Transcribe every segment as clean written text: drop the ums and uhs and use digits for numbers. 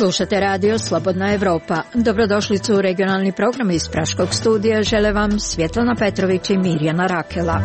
Slušate radio Slobodna Evropa. Dobrodošlicu u regionalni program iz Praškog studija. Žele vam Svjetlana Petrović i Mirjana Rakela.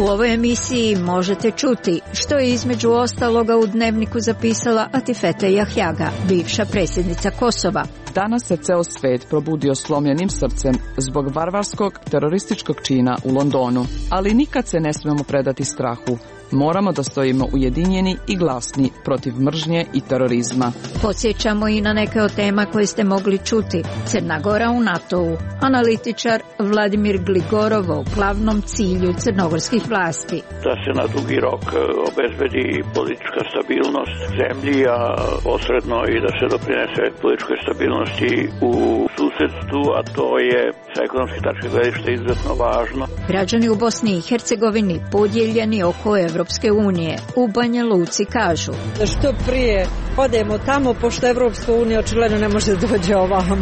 U ovoj emisiji možete čuti što je između ostaloga u dnevniku zapisala Atifete Jahjaga, bivša predsjednica Kosova. Danas se ceo svet probudio slomljenim srcem zbog varvarskog terorističkog čina u Londonu, ali nikad se ne smemo predati strahu. Moramo da stojimo ujedinjeni i glasni protiv mržnje i terorizma. Podsjećamo i na neke od tema koje ste mogli čuti. Crna Gora u NATO-u. Analitičar Vladimir Gligorov o glavnom cilju crnogorskih vlasti. Da se na dugi rok obezbedi politička stabilnost zemlji, a posredno i da se doprinese političkoj stabilnosti u susedstvu, a to je sa ekonomske tačke gledišta izuzetno važno. Građani u Bosni i Hercegovini podijeljeni oko Evropske unije. U Banja Luci kažu da što prije odemo tamo, pošto Evropska unija očigledno ne može dođe ovamo.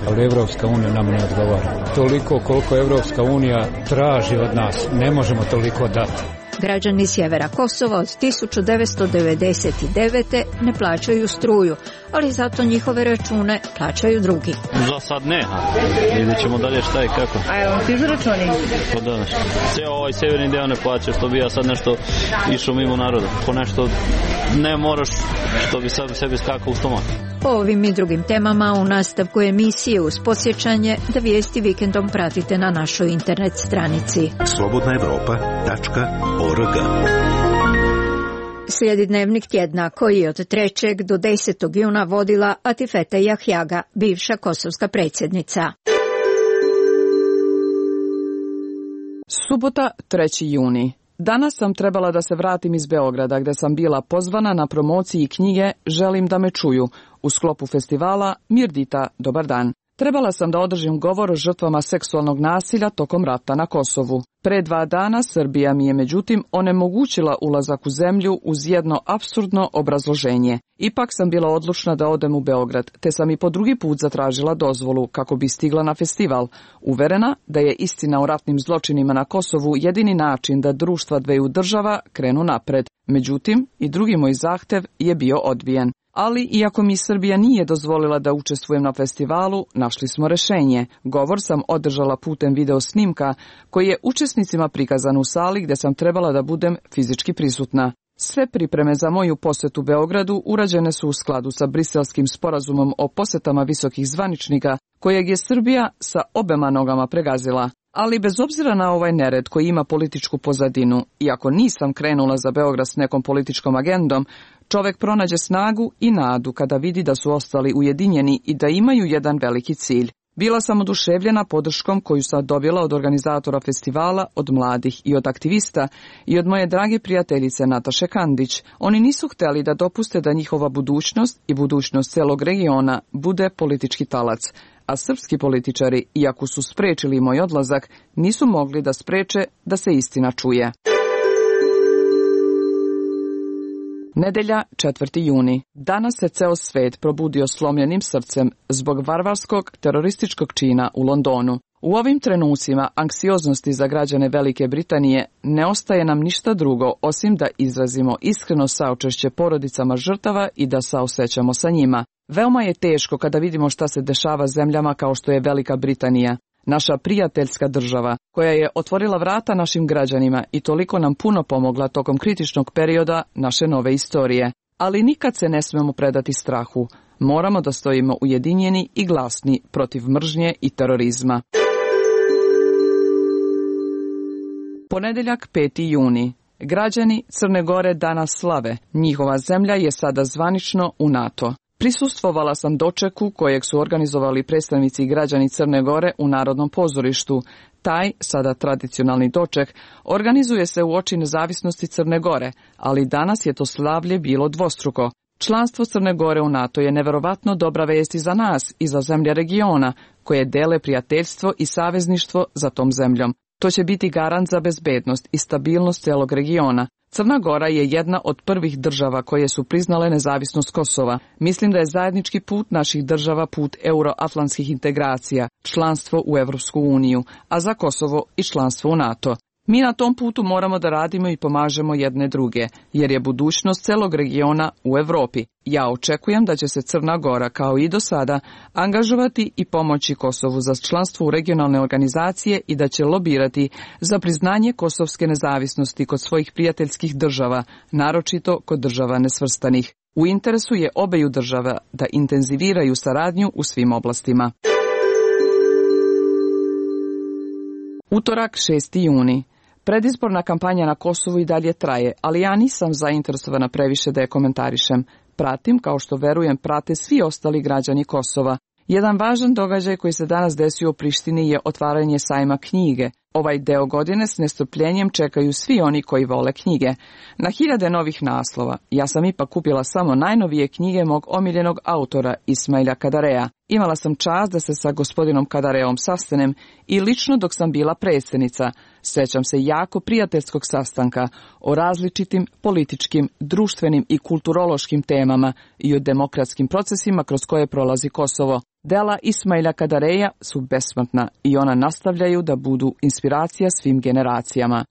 Ali Evropska unija nam ne odgovara. Toliko koliko Evropska unija traži od nas, ne možemo toliko dati. Građani sjevera Kosova od 1999. ne plaćaju struju, ali zato njihove račune plaćaju drugi. Za sad ne, vidjet ćemo dalje šta je kako. A je vam stižu računi? Pa da, ceo ovaj severni deo ne plaća, što bi ja sad nešto išao mimo naroda. Po nešto ne moraš, što bi sad sebi skakao u stomak. Po ovim i drugim temama u nastavku emisije uz podsjećanje da vijesti vikendom pratite na našoj internet stranici. slobodnaevropa.org. Slijedi dnevnik tjedna koji je od 3. do 10. juna vodila Atifete Jahjaga, bivša kosovska predsjednica. Subota, 3. juni. Danas sam trebala da se vratim iz Beograda gdje sam bila pozvana na promociji knjige Želim da me čuju u sklopu festivala Mirdita, dobar dan. Trebala sam da održim govor o žrtvama seksualnog nasilja tokom rata na Kosovu. Pre 2 dana Srbija mi je međutim onemogućila ulazak u zemlju uz jedno apsurdno obrazloženje. Ipak sam bila odlučna da odem u Beograd, te sam i po drugi put zatražila dozvolu kako bi stigla na festival, uverena da je istina o ratnim zločinima na Kosovu jedini način da društva dveju država krenu napred. Međutim, i drugi moj zahtev je bio odbijen. Ali, iako mi Srbija nije dozvolila da učestvujem na festivalu, našli smo rešenje. Govor sam održala putem video snimka, koji je učesnicima prikazan u sali gdje sam trebala da budem fizički prisutna. Sve pripreme za moju posjetu Beogradu urađene su u skladu sa Briselskim sporazumom o posjetama visokih zvaničnika, kojeg je Srbija sa obema nogama pregazila. Ali bez obzira na ovaj nered koji ima političku pozadinu, iako nisam krenula za Beograd s nekom političkom agendom, čovjek pronađe snagu i nadu kada vidi da su ostali ujedinjeni i da imaju jedan veliki cilj. Bila sam oduševljena podrškom koju sam dobila od organizatora festivala, od mladih i od aktivista i od moje drage prijateljice Nataše Kandić. Oni nisu htjeli da dopuste da njihova budućnost i budućnost celog regiona bude politički talac, a srpski političari, iako su sprečili moj odlazak, nisu mogli da spreče da se istina čuje. Nedelja, 4. juni. Danas se ceo svet probudio slomljenim srcem zbog varvarskog terorističkog čina u Londonu. U ovim trenucima anksioznosti za građane Velike Britanije ne ostaje nam ništa drugo osim da izrazimo iskreno saučešće porodicama žrtava i da saosećamo sa njima. Veoma je teško kada vidimo šta se dešava zemljama kao što je Velika Britanija, naša prijateljska država, koja je otvorila vrata našim građanima i toliko nam puno pomogla tokom kritičnog perioda naše nove istorije. Ali nikad se ne smemo predati strahu. Moramo da stojimo ujedinjeni i glasni protiv mržnje i terorizma. Ponedeljak, 5. juni. Građani Crne Gore danas slave. Njihova zemlja je sada zvanično u NATO. Prisustvovala sam dočeku kojeg su organizovali predstavnici i građani Crne Gore u Narodnom pozorištu. Taj, sada tradicionalni doček, organizuje se u oči nezavisnosti Crne Gore, ali danas je to slavlje bilo dvostruko. Članstvo Crne Gore u NATO je neverovatno dobra vest i za nas i za zemlje regiona, koje dele prijateljstvo i savezništvo za tom zemljom. To će biti garant za bezbednost i stabilnost celog regiona. Crna Gora je jedna od prvih država koje su priznale nezavisnost Kosova. Mislim da je zajednički put naših država put euroatlantskih integracija, članstvo u Evropsku uniju, a za Kosovo i članstvo u NATO. Mi na tom putu moramo da radimo i pomažemo jedne druge, jer je budućnost celog regiona u Evropi. Ja očekujem da će se Crna Gora, kao i do sada, angažovati i pomoći Kosovu za članstvo u regionalne organizacije i da će lobirati za priznanje kosovske nezavisnosti kod svojih prijateljskih država, naročito kod država nesvrstanih. U interesu je obeju država da intenziviraju saradnju u svim oblastima. Utorak, 6. juni. Predizborna kampanja na Kosovu i dalje traje, ali ja nisam zainteresovana previše da je komentarišem. Pratim, kao što verujem, prate svi ostali građani Kosova. Jedan važan događaj koji se danas desio u Prištini je otvaranje sajma knjige. Ovaj deo godine s nestrpljenjem čekaju svi oni koji vole knjige. Na hiljade novih naslova. Ja sam ipak kupila samo najnovije knjige mog omiljenog autora Ismaila Kadareja. Imala sam čast da se sa gospodinom Kadareom sastanem i lično dok sam bila predsjednica. Sećam se jako prijateljskog sastanka o različitim političkim, društvenim i kulturološkim temama i o demokratskim procesima kroz koje prolazi Kosovo. Dela Ismaila Kadareja su besmrtna i ona nastavljaju da budu inspiracija svim generacijama.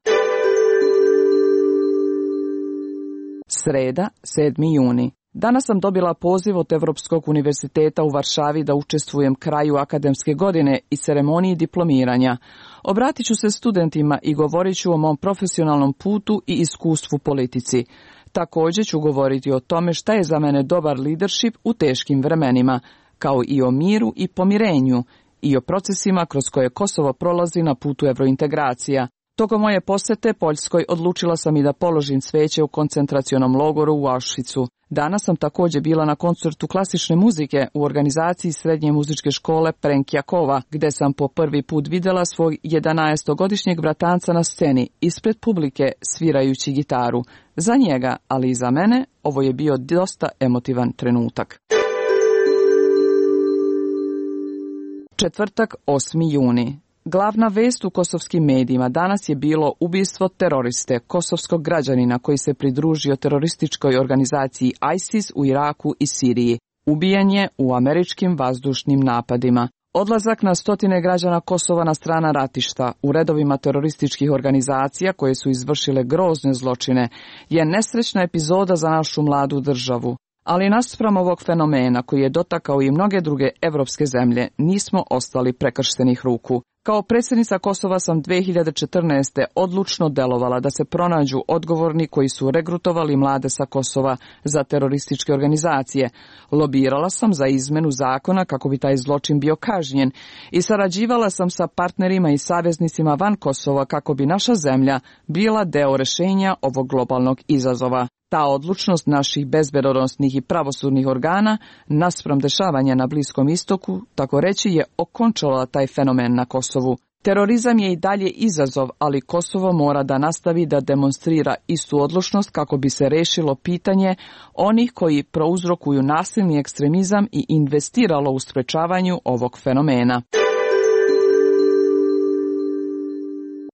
Sreda, 7. juni. Danas sam dobila poziv od Evropskog univerziteta u Varšavi da učestvujem kraju akademske godine i ceremoniji diplomiranja. Obratit ću se studentima i govorit ću o mom profesionalnom putu i iskustvu politici. Također ću govoriti o tome šta je za mene dobar leadership u teškim vremenima, kao i o miru i pomirenju i o procesima kroz koje Kosovo prolazi na putu evrointegracija. Tokom moje posete Poljskoj odlučila sam i da položim cveće u koncentracionom logoru u Auschwitzu. Danas sam također bila na koncertu klasične muzike u organizaciji srednje muzičke škole Prenkjakova, gde sam po prvi put videla svog 11-godišnjeg bratanca na sceni ispred publike svirajući gitaru. Za njega, ali i za mene, ovo je bio dosta emotivan trenutak. Četvrtak, 8. juni. Glavna vest u kosovskim medijima danas je bilo ubistvo teroriste, kosovskog građanina koji se pridružio terorističkoj organizaciji ISIS u Iraku i Siriji. Ubijen je u američkim vazdušnim napadima. Odlazak na stotine građana Kosova na strana ratišta u redovima terorističkih organizacija koje su izvršile grozne zločine je nesrećna epizoda za našu mladu državu. Ali naspram ovog fenomena koji je dotakao i mnoge druge evropske zemlje, nismo ostali prekrštenih ruku. Kao predsjednica Kosova sam 2014. odlučno delovala da se pronađu odgovorni koji su regrutovali mlade sa Kosova za terorističke organizacije. Lobirala sam za izmenu zakona kako bi taj zločin bio kažnjen i sarađivala sam sa partnerima i saveznicima van Kosova kako bi naša zemlja bila deo rješenja ovog globalnog izazova. Ta odlučnost naših bezbednosnih i pravosudnih organa naspram dešavanja na Bliskom istoku, tako reći, je okončala taj fenomen na Kosovu. Terorizam je i dalje izazov, ali Kosovo mora da nastavi da demonstrira istu odlučnost kako bi se rešilo pitanje onih koji prouzrokuju nasilni ekstremizam i investiralo u sprečavanju ovog fenomena.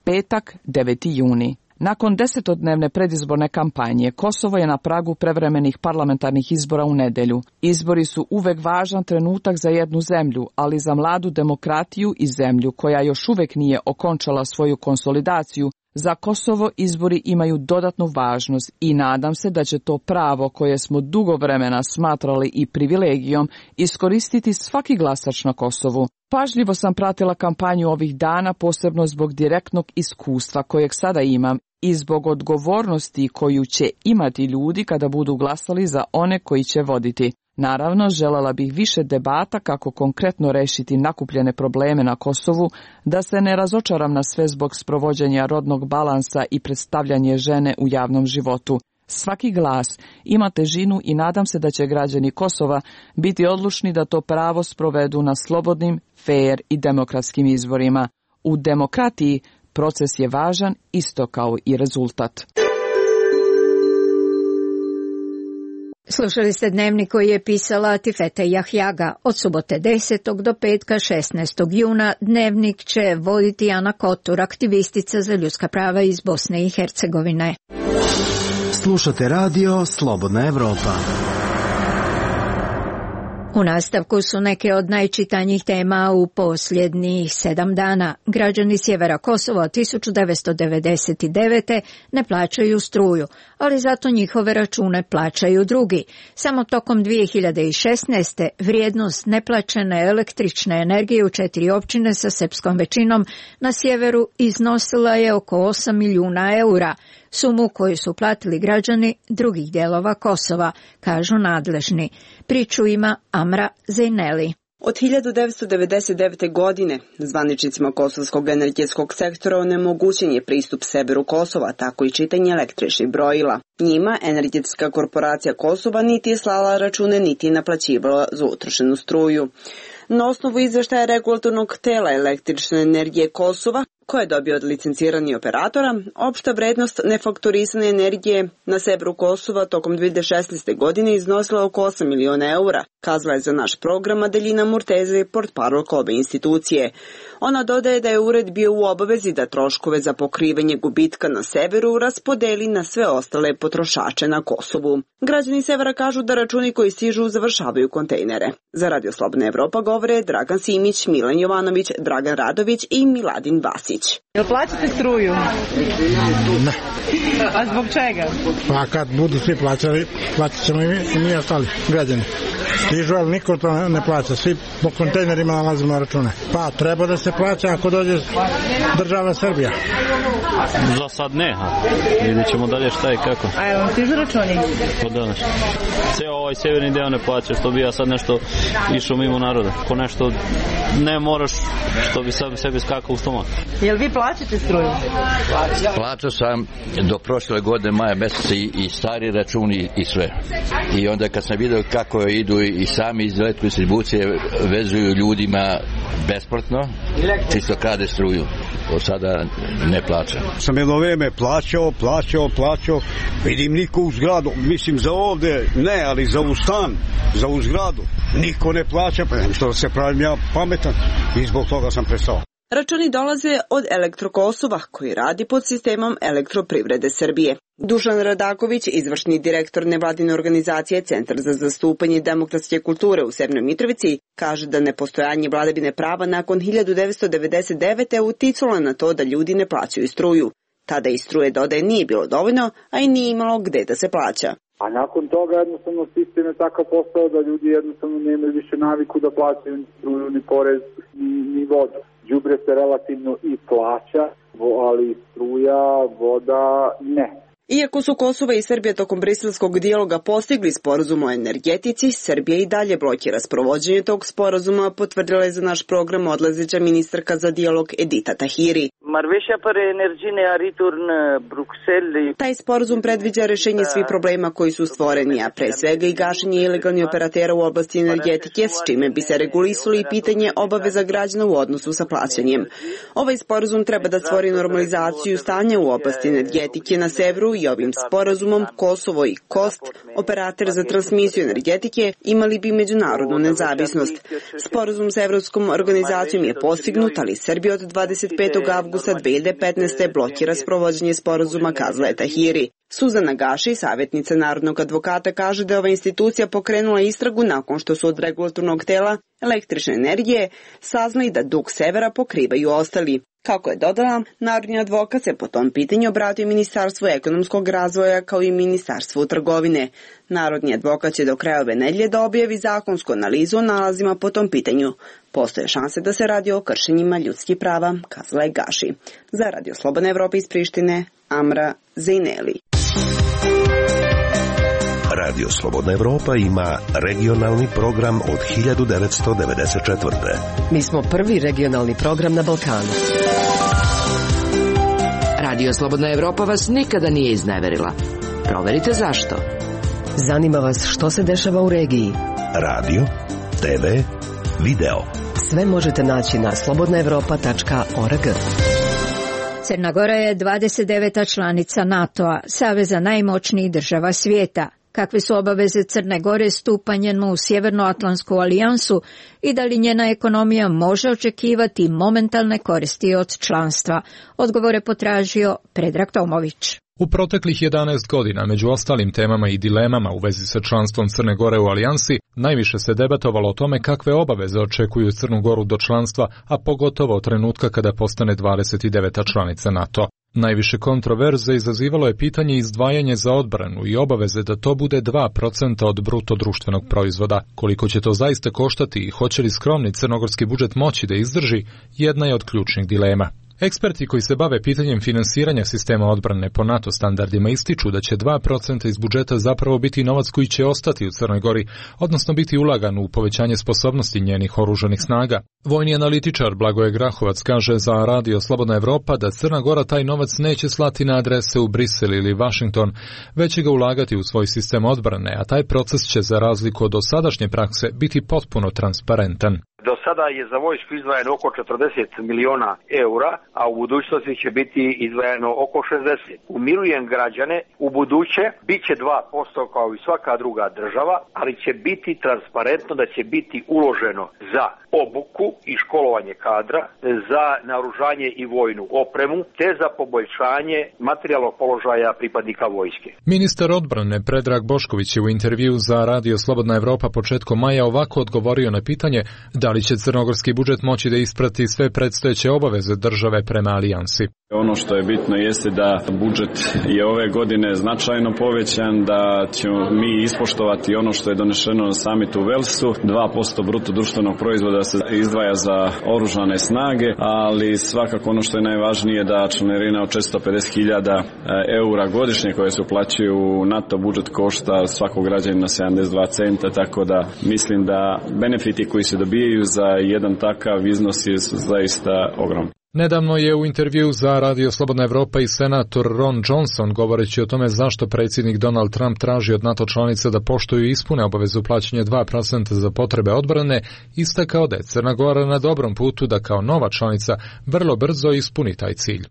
Petak, 9. juni. Nakon 10-dnevne predizborne kampanje, Kosovo je na pragu prevremenih parlamentarnih izbora u nedelju. Izbori su uvek važan trenutak za jednu zemlju, ali za mladu demokratiju i zemlju koja još uvek nije okončala svoju konsolidaciju, za Kosovo izbori imaju dodatnu važnost i nadam se da će to pravo koje smo dugo vremena smatrali i privilegijom iskoristiti svaki glasač na Kosovu. Pažljivo sam pratila kampanju ovih dana, posebno zbog direktnog iskustva kojeg sada imam i zbog odgovornosti koju će imati ljudi kada budu glasali za one koji će voditi. Naravno, želela bih više debata kako konkretno rešiti nakupljene probleme na Kosovu, da se ne razočaram na sve zbog sprovođenja rodnog balansa i predstavljanje žene u javnom životu. Svaki glas ima težinu i nadam se da će građani Kosova biti odlučni da to pravo sprovedu na slobodnim, fair i demokratskim izborima. U demokratiji proces je važan isto kao i rezultat. Slušali ste dnevnik koji je pisala Tifete Jahjaga. Od subote 10. do petka 16. juna dnevnik će voditi Ana Kotur, aktivistica za ljudska prava iz Bosne i Hercegovine. Slušate radio Slobodna Evropa. U nastavku su neke od najčitanjih tema u posljednjih 7 dana. Građani sjevera Kosova od 1999. ne plaćaju struju, ali zato njihove račune plaćaju drugi. Samo tokom 2016. vrijednost neplaćene električne energije u 4 općine sa srpskom većinom na sjeveru iznosila je oko 8 milijuna eura, sumu koju su platili građani drugih dijelova Kosova, kažu nadležni. Priču ima Amra Zejneli. Od 1999. godine zvaničnicima kosovskog energetskog sektora onemogućen je pristup severu Kosova, tako i čitanje električnih brojila. Njima energetska korporacija Kosova niti je slala račune, niti je naplaćivala za utrošenu struju. Na osnovu izveštaja regulatornog tela električne energije Kosova, koje je dobio od licenciranih operatora, opšta vrednost nefaktorisane energije na severu Kosova tokom 2016. godine iznosila oko 8 miliona eura, kazala je za naš program Adelina Murteze, portparolka ove institucije. Ona dodaje da je ured bio u obavezi da troškove za pokrivanje gubitka na severu raspodeli na sve ostale potrošače na Kosovu. Građani severa kažu da računi koji stižu završavaju kontejnere. Za Radio Slobodna Evropa govore Dragan Simić, Milan Jovanović, Dragan Radović i Miladin Vasić. Jel plaćate struju? Ne. A zbog čega? Pa kad budu svi plaćali, plaćat ćemo i mi ostali građani. Stižu, ali niko to ne plaća. Svi po kontejnerima nalazimo račune. Pa treba da se plaća ako dođe država Srbija. Za sad ne, vidjet ćemo dalje šta i kako. A jel vam stižu računi? Od danas. Ceo ovaj severni deo ne plaća, što bi ja sad nešto išao mimo naroda. Ko nešto ne moraš, što bi sad sebi skakao u stomak. Jel vi plaćate struju? Plaćao sam do prošle godine maja mjeseca i stari računi i sve. I onda kad sam vidio kako idu i sami iz elektrodistribucije vezuju ljudima besplatno, čisto krade struju. Od sada ne plaćam. Sam jedno vrijeme plaćao, vidim niko u zgradu, mislim za ovdje ne, ali za u stan, za u zgradu, niko ne plaća, pa nem što se pravim ja pametan i zbog toga sam prestao. Računi dolaze od Elektrokosova, koji radi pod sistemom Elektroprivrede Srbije. Dušan Radaković, izvršni direktor nevladine organizacije Centar za zastupanje demokratske kulture u Severnoj Mitrovici, kaže da nepostojanje vladavine prava nakon 1999. uticalo na to da ljudi ne plaćaju struju. Tada i struje, dodaje, nije bilo dovoljno, a i nije imalo gde da se plaća. A nakon toga jednostavno sistem je takav postao da ljudi jednostavno nemaju više naviku da plaćaju ni struju, ni porez, ni vodu. Đubre se relativno i plaća, ali struja, voda ne. Iako su Kosovo i Srbija tokom briselskog dijaloga postigli sporazum o energetici, Srbija i dalje blokira sprovođenje tog sporazuma, potvrdila je za naš program odlazeća ministarka za dijalog Edita Tahiri. Taj sporazum predviđa rešenje svih problema koji su stvoreni, a pre svega i gašenje ilegalnih operatera u oblasti energetike, s čime bi se regulisali i pitanje obaveza građana u odnosu sa plaćanjem. Ovaj sporazum treba da stvori normalizaciju stanja u oblasti energetike na severu i ovim sporazumom Kosovo i KOST, operator za transmisiju energetike, imali bi međunarodnu nezavisnost. Sporazum sa Evropskom organizacijom je postignut, ali Srbija od 25. avgusta 2015. blokira sprovođenje sporazuma, kazala je Tahiri. Suzana Gaši, savjetnica narodnog advokata, kaže da je ova institucija pokrenula istragu nakon što su od regulatornog tela električne energije saznali da dug severa pokrivaju ostali. Kako je dodala, narodni advokat se po tom pitanju obratio Ministarstvu ekonomskog razvoja kao i Ministarstvu trgovine. Narodni advokat će do kraja ove nedelje da objavi zakonsku analizu o nalazima po tom pitanju. Postoje šanse da se radi o kršenjima ljudskih prava, kazala je Gaši. Za Radio Slobodna Evropa iz Prištine, Amra Zejneli. Radio Slobodna Evropa ima regionalni program od 1994. Mi smo prvi regionalni program na Balkanu. Radio Slobodna Evropa vas nikada nije izneverila. Proverite zašto. Zanima vas što se dešava u regiji. Radio, TV, video. Sve možete naći na slobodnaevropa.org. Crna Gora je 29. članica NATO-a, saveza najmoćnijih država svijeta. Kakve su obaveze Crne Gore stupanjem u Sjevernoatlantsku alijansu i da li njena ekonomija može očekivati momentalne koristi od članstva? Odgovore potražio Predrag Tomović. U proteklih 11 godina, među ostalim temama i dilemama u vezi sa članstvom Crne Gore u alijansi, najviše se debatovalo o tome kakve obaveze očekuju Crnu Goru do članstva, a pogotovo od trenutka kada postane 29. članica NATO. Najviše kontroverze izazivalo je pitanje izdvajanja za odbranu i obaveze da to bude 2% od bruto društvenog proizvoda. Koliko će to zaista koštati i hoće li skromni crnogorski budžet moći da izdrži, jedna je od ključnih dilema. Eksperti koji se bave pitanjem finansiranja sistema odbrane po NATO standardima ističu da će 2% iz budžeta zapravo biti novac koji će ostati u Crnoj Gori, odnosno biti ulagan u povećanje sposobnosti njenih oružanih snaga. Vojni analitičar Blagoje Grahovac kaže za Radio Slobodna Evropa da Crna Gora taj novac neće slati na adrese u Brisel ili Washington, već će ga ulagati u svoj sistem odbrane, a taj proces će za razliku od dosadašnje prakse biti potpuno transparentan. Do sada je za vojsku izdvajano oko 40 miliona eura, a u budućnosti će biti izdvajano oko 60. Umirujem građane, u buduće bit će 2% kao i svaka druga država, ali će biti transparentno da će biti uloženo za obuku i školovanje kadra, za naoružanje i vojnu opremu, te za poboljšanje materijalnog položaja pripadnika vojske. Ministar odbrane Predrag Bošković je u intervju za Radio Slobodna Evropa početkom maja ovako odgovorio na pitanje da li će crnogorski budžet moći da isprati sve predstojeće obaveze države prema alijansi. Ono što je bitno jeste da budžet je ove godine značajno povećan, da ćemo mi ispoštovati ono što je donešeno na samitu u Velsu, 2% bruto društvenog proizvoda se izdvaja za oružane snage, ali svakako ono što je najvažnije da članarina od 450.000 eura godišnje koje se uplaćuju u NATO budžet košta svakog građanina 72 centa, tako da mislim da benefiti koji se dobijaju za jedan takav iznos je zaista ogromni. Nedavno je u intervju za Radio Slobodna Evropa i senator Ron Johnson, govoreći o tome zašto predsjednik Donald Trump traži od NATO članica da poštuju i ispune obavezu plaćanja 2% za potrebe odbrane, istakao da je Crna Gora na dobrom putu da kao nova članica vrlo brzo ispuni taj cilj.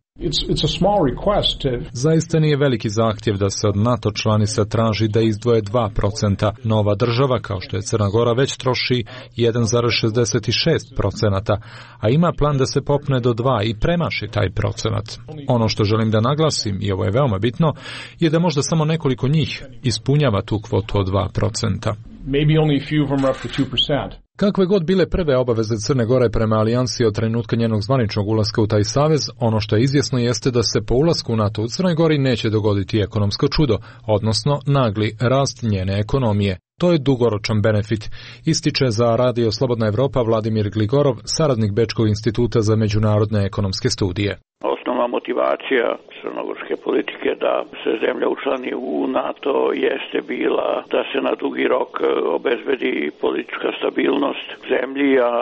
Zaista nije veliki zahtjev da se od NATO članica traži da izdvoje 2%. Nova država, kao što je Crna Gora, već troši 1,66%, a ima plan da se popne do 2 i premaši taj procenat. Ono što želim da naglasim, i ovo je veoma bitno, je da možda samo nekoliko njih ispunjava tu kvotu od 2%. Kakve god bile prve obaveze Crne Gore prema alijansi od trenutka njenog zvaničnog ulaska u taj savez, ono što je izvjesno jeste da se po ulasku u NATO u Crnoj Gori neće dogoditi ekonomsko čudo, odnosno nagli rast njene ekonomije. To je dugoročan benefit, ističe za Radio Slobodna Evropa Vladimir Gligorov, saradnik Bečkog instituta za međunarodne ekonomske studije. Osnovna motivacija crnogorske politike da se zemlja učlani u NATO jeste bila da se na dugi rok obezbedi politička stabilnost zemlji, a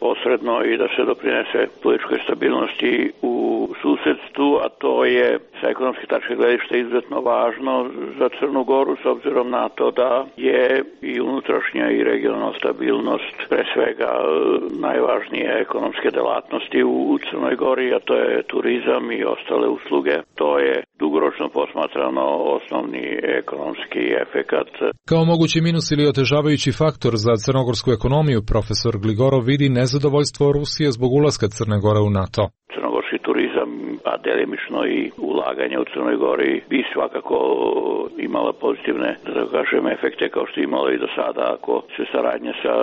posredno i da se doprinese političkoj stabilnosti u susedstvu, a to je sa ekonomske tačke gledišta izuzetno važno za Crnu Goru s obzirom na to da je i unutrašnja i regionalna stabilnost pre svega najvažnije ekonomske delatnosti u Crnoj Gori, a to je turizam i ostale usluge. To je dugoročno posmatrano osnovni ekonomski efekat. Kao mogući minus ili otežavajući faktor za crnogorsku ekonomiju, profesor Gligorov vidi nezadovoljstvo Rusije zbog ulaska Crne Gore u NATO. Crnogorski turizam, a delimično i ulaganje u Crnoj Gori bi svakako imala pozitivne, da kažem, efekte kao što je imalo i do sada ako se saradnja sa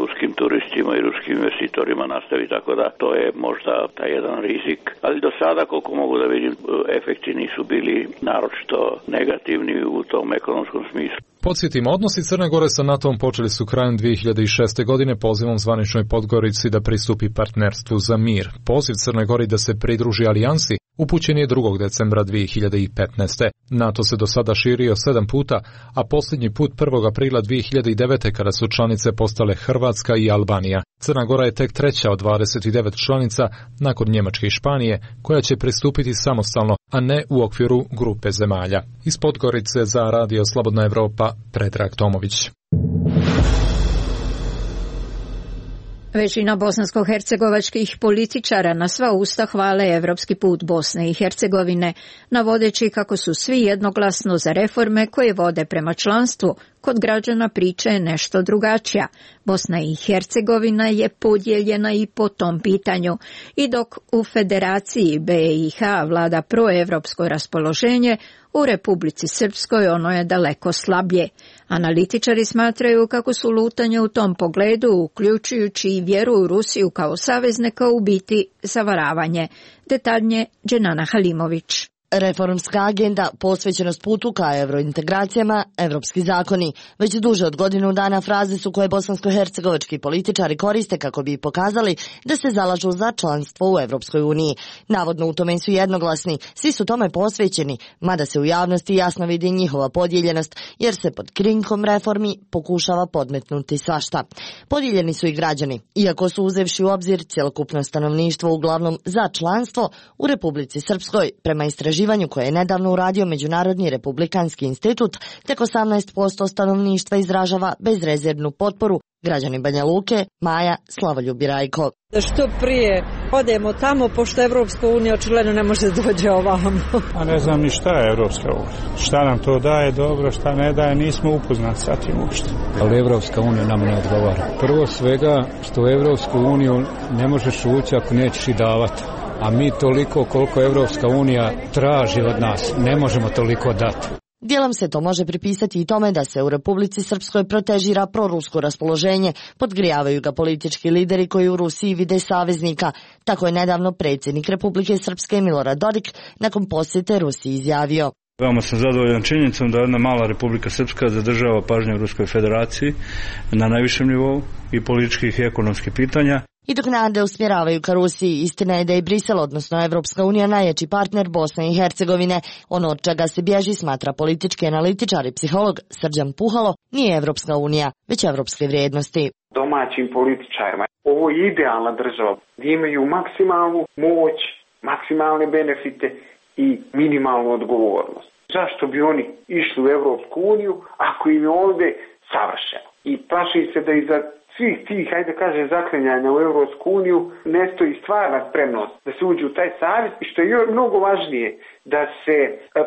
ruskim turistima i ruskim investitorima nastavi, tako da to je možda taj jedan rizik. Ali do sada, koliko mogu da vidim, efekti nisu bili naročito negativni u tom ekonomskom smislu. Podsjetimo, odnosi Crne Gore sa NATO-om počeli su krajem 2006. godine pozivom zvaničnoj Podgorici da pristupi partnerstvu za mir. Poziv Crne Gori da se pridruži alijansi upućen je 2. decembra 2015. NATO se do sada širio 7 puta, a posljednji put 1. aprila 2009. kada su članice postale Hrvatska i Albanija. Crna Gora je tek treća od 29 članica nakon Njemačke i Španije, koja će pristupiti samostalno, a ne u okviru grupe zemalja. Iz Podgorice za Radio Slobodna Evropa, Predrag Tomović. Većina bosansko-hercegovačkih političara na sva usta hvale evropski put Bosne i Hercegovine, navodeći kako su svi jednoglasno za reforme koje vode prema članstvu. Kod građana priča je nešto drugačija. Bosna i Hercegovina je podijeljena i po tom pitanju. I dok u Federaciji BiH vlada proevropsko raspoloženje, u Republici Srpskoj ono je daleko slabije. Analitičari smatraju kako su lutanje u tom pogledu, uključujući i vjeru u Rusiju kao saveznika, u biti zavaravanje. Detaljnije Dženana Halimović. Reformska agenda, posvećenost putu ka evrointegracijama, evropski zakoni. Već duže od godinu dana fraze su koje bosansko-hercegovački političari koriste kako bi pokazali da se zalažu za članstvo u Evropskoj uniji. Navodno u tome su jednoglasni, svi su tome posvećeni, mada se u javnosti jasno vidi njihova podijeljenost, jer se pod krinkom reformi pokušava podmetnuti svašta. Podijeljeni su i građani, iako su uzevši u obzir cjelokupno stanovništvo uglavnom za članstvo u Republici Srpskoj, prema istraživanju koje je nedavno uradio Međunarodni republikanski institut, tek 18% stanovništva izražava bezrezervnu potporu. Građani Banja Luke, Maja Slavoljubi Rajko. Da što prije odemo tamo, pošto Evropska unija očigledno ne može dođe ovamo. A ne znam ni šta je Evropska unija. Šta nam to daje dobro, šta ne daje, nismo upoznati sa tim uopšte. Ali Evropska unija nam ne odgovara. Prvo svega što u Evropsku uniju ne možeš ući ako nećeš i davati. A mi toliko koliko Evropska unija traži od nas, ne možemo toliko dati. Dijelom se to može pripisati i tome da se u Republici Srpskoj protežira prorusko raspoloženje, podgrijavaju ga politički lideri koji u Rusiji vide saveznika. Tako je nedavno predsjednik Republike Srpske Milorad Dodik nakon posjete Rusiji izjavio. Veoma sam zadovoljan činjenicom da jedna mala Republika Srpska zadržava pažnju u Ruskoj federaciji na najvišem nivou i političkih i ekonomskih pitanja. I dok nade usmjeravaju ka Rusiji, istina je da je Brisel, odnosno Evropska unija, najjači partner Bosne i Hercegovine. Ono od čega se bježi, smatra politički analitičar i psiholog Srđan Puhalo, nije Evropska unija, već evropske vrijednosti. Domaćim političarima ovo je idealna država gdje imaju maksimalnu moć, maksimalne benefite i minimalnu odgovornost. Zašto bi oni išli u Evropsku uniju ako im je ovdje savršeno? I plaši se da iza svih tih, hajde kaže, zaklinjanja u Evropsku uniju ne stoji stvarna spremnost da se uđe u taj savez i što je mnogo važnije, da se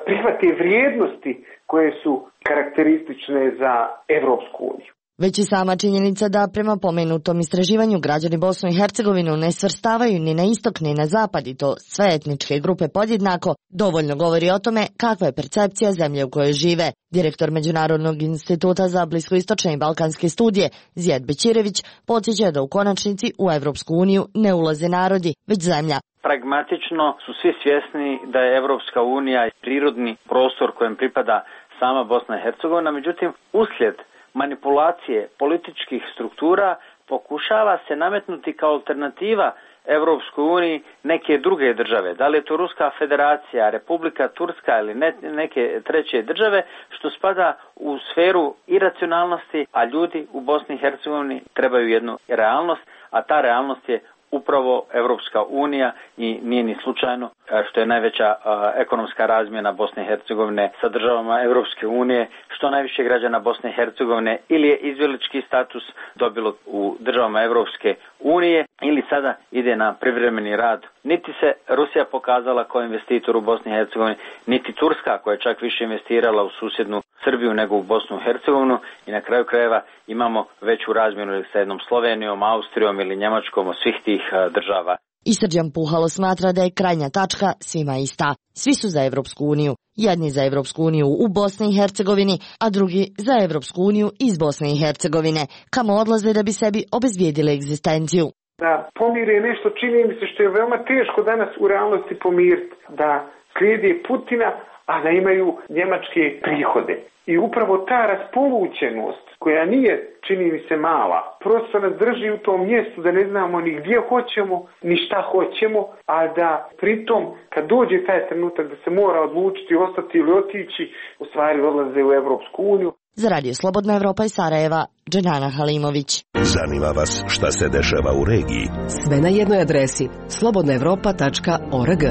prihvate vrijednosti koje su karakteristične za Evropsku uniju. Već i sama činjenica da prema pomenutom istraživanju građani Bosnu i Hercegovinu ne svrstavaju ni na istok ni na zapad, i to sve etničke grupe podjednako, dovoljno govori o tome kakva je percepcija zemlje u kojoj žive. Direktor Međunarodnog instituta za bliskoistočne i balkanske studije Zijad Bećirević podsjeća da u konačnici u Evropsku uniju ne ulaze narodi, već zemlja. Pragmatično su svi svjesni da je Evropska unija prirodni prostor kojem pripada sama Bosna i Hercegovina, međutim uslijed manipulacije političkih struktura pokušava se nametnuti kao alternativa Evropskoj uniji neke druge države. Da li je to Ruska federacija, Republika Turska ili neke treće države, što spada u sferu iracionalnosti, a ljudi u Bosni i Hercegovini trebaju jednu realnost, a ta realnost je upravo Evropska unija i nije ni slučajno što je najveća ekonomska razmjena Bosne i Hercegovine sa državama Evropske unije, što najviše građana Bosne i Hercegovine ili je izbjeglički status dobilo u državama Evropske unije ili sada ide na privremeni rad. Niti se Rusija pokazala kao investitor u Bosni i Hercegovini, niti Turska koja je čak više investirala u susjednu Srbiju nego u Bosnu i Hercegovinu i na kraju krajeva imamo veću razmjenu sa jednom Slovenijom, Austrijom ili Njemačkom od svih tih država. I Srđan Puhalo smatra da je krajnja tačka svima ista. Svi su za Evropsku uniju. Jedni za Evropsku uniju u Bosni i Hercegovini, a drugi za Evropsku uniju iz Bosne i Hercegovine, kamo odlaze da bi sebi obezbijedili egzistenciju. Da pomire nešto, čini mi se, što je veoma teško danas u realnosti pomiriti, da slijede Putina, a da imaju njemačke prihode. I upravo ta raspolućenost, koja nije, čini mi se, mala, prosto nas drži u tom mjestu da ne znamo ni gdje hoćemo, ni šta hoćemo, a da pritom, kad dođe taj trenutak da se mora odlučiti ostati ili otići, u stvari odlaze u Evropsku uniju. Za Radio Slobodna Evropa iz Sarajeva, Dženana Halimović. Zanima vas šta se dešava u regiji? Sve na jednoj adresi slobodnaevropa.org.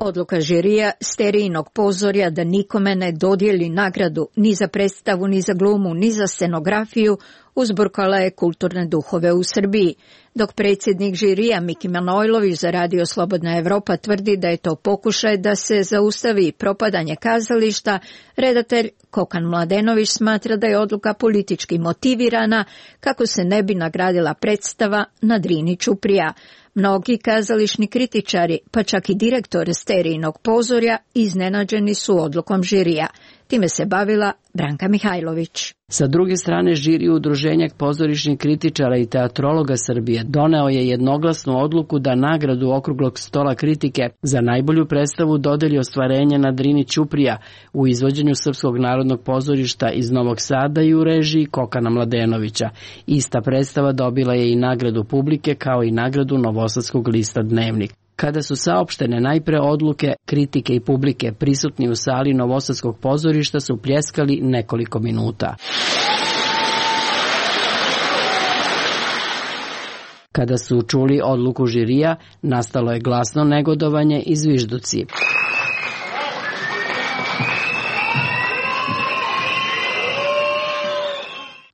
Odluka žirija Sterijnog pozorja da nikome ne dodijeli nagradu ni za predstavu, ni za glumu, ni za scenografiju uzburkala je kulturne duhove u Srbiji, dok predsjednik žirija Miki Manojlović za Radio Slobodna Evropa tvrdi da je to pokušaj da se zaustavi propadanje kazališta, redatelj Kokan Mladenović smatra da je odluka politički motivirana kako se ne bi nagradila predstava na Drini Ćuprija. Mnogi kazališni kritičari, pa čak i direktor Sterijinog pozorja, iznenađeni su odlukom žirija. Time se bavila Branka Mihajlović. Sa druge strane, žiri Udruženja pozorišnih kritičara i teatrologa Srbije doneo je jednoglasnu odluku da nagradu Okruglog stola kritike za najbolju predstavu dodeli ostvarenje na Drini Ćuprija u izvođenju Srpskog narodnog pozorišta iz Novog Sada i u režiji Kokana Mladenovića. Ista predstava dobila je i nagradu publike kao i nagradu Novosadskog lista Dnevnik. Kada su saopštene najpre odluke, kritike i publike, prisutni u sali Novosadskog pozorišta su pljeskali nekoliko minuta. Kada su čuli odluku žirija, nastalo je glasno negodovanje i zvižduci.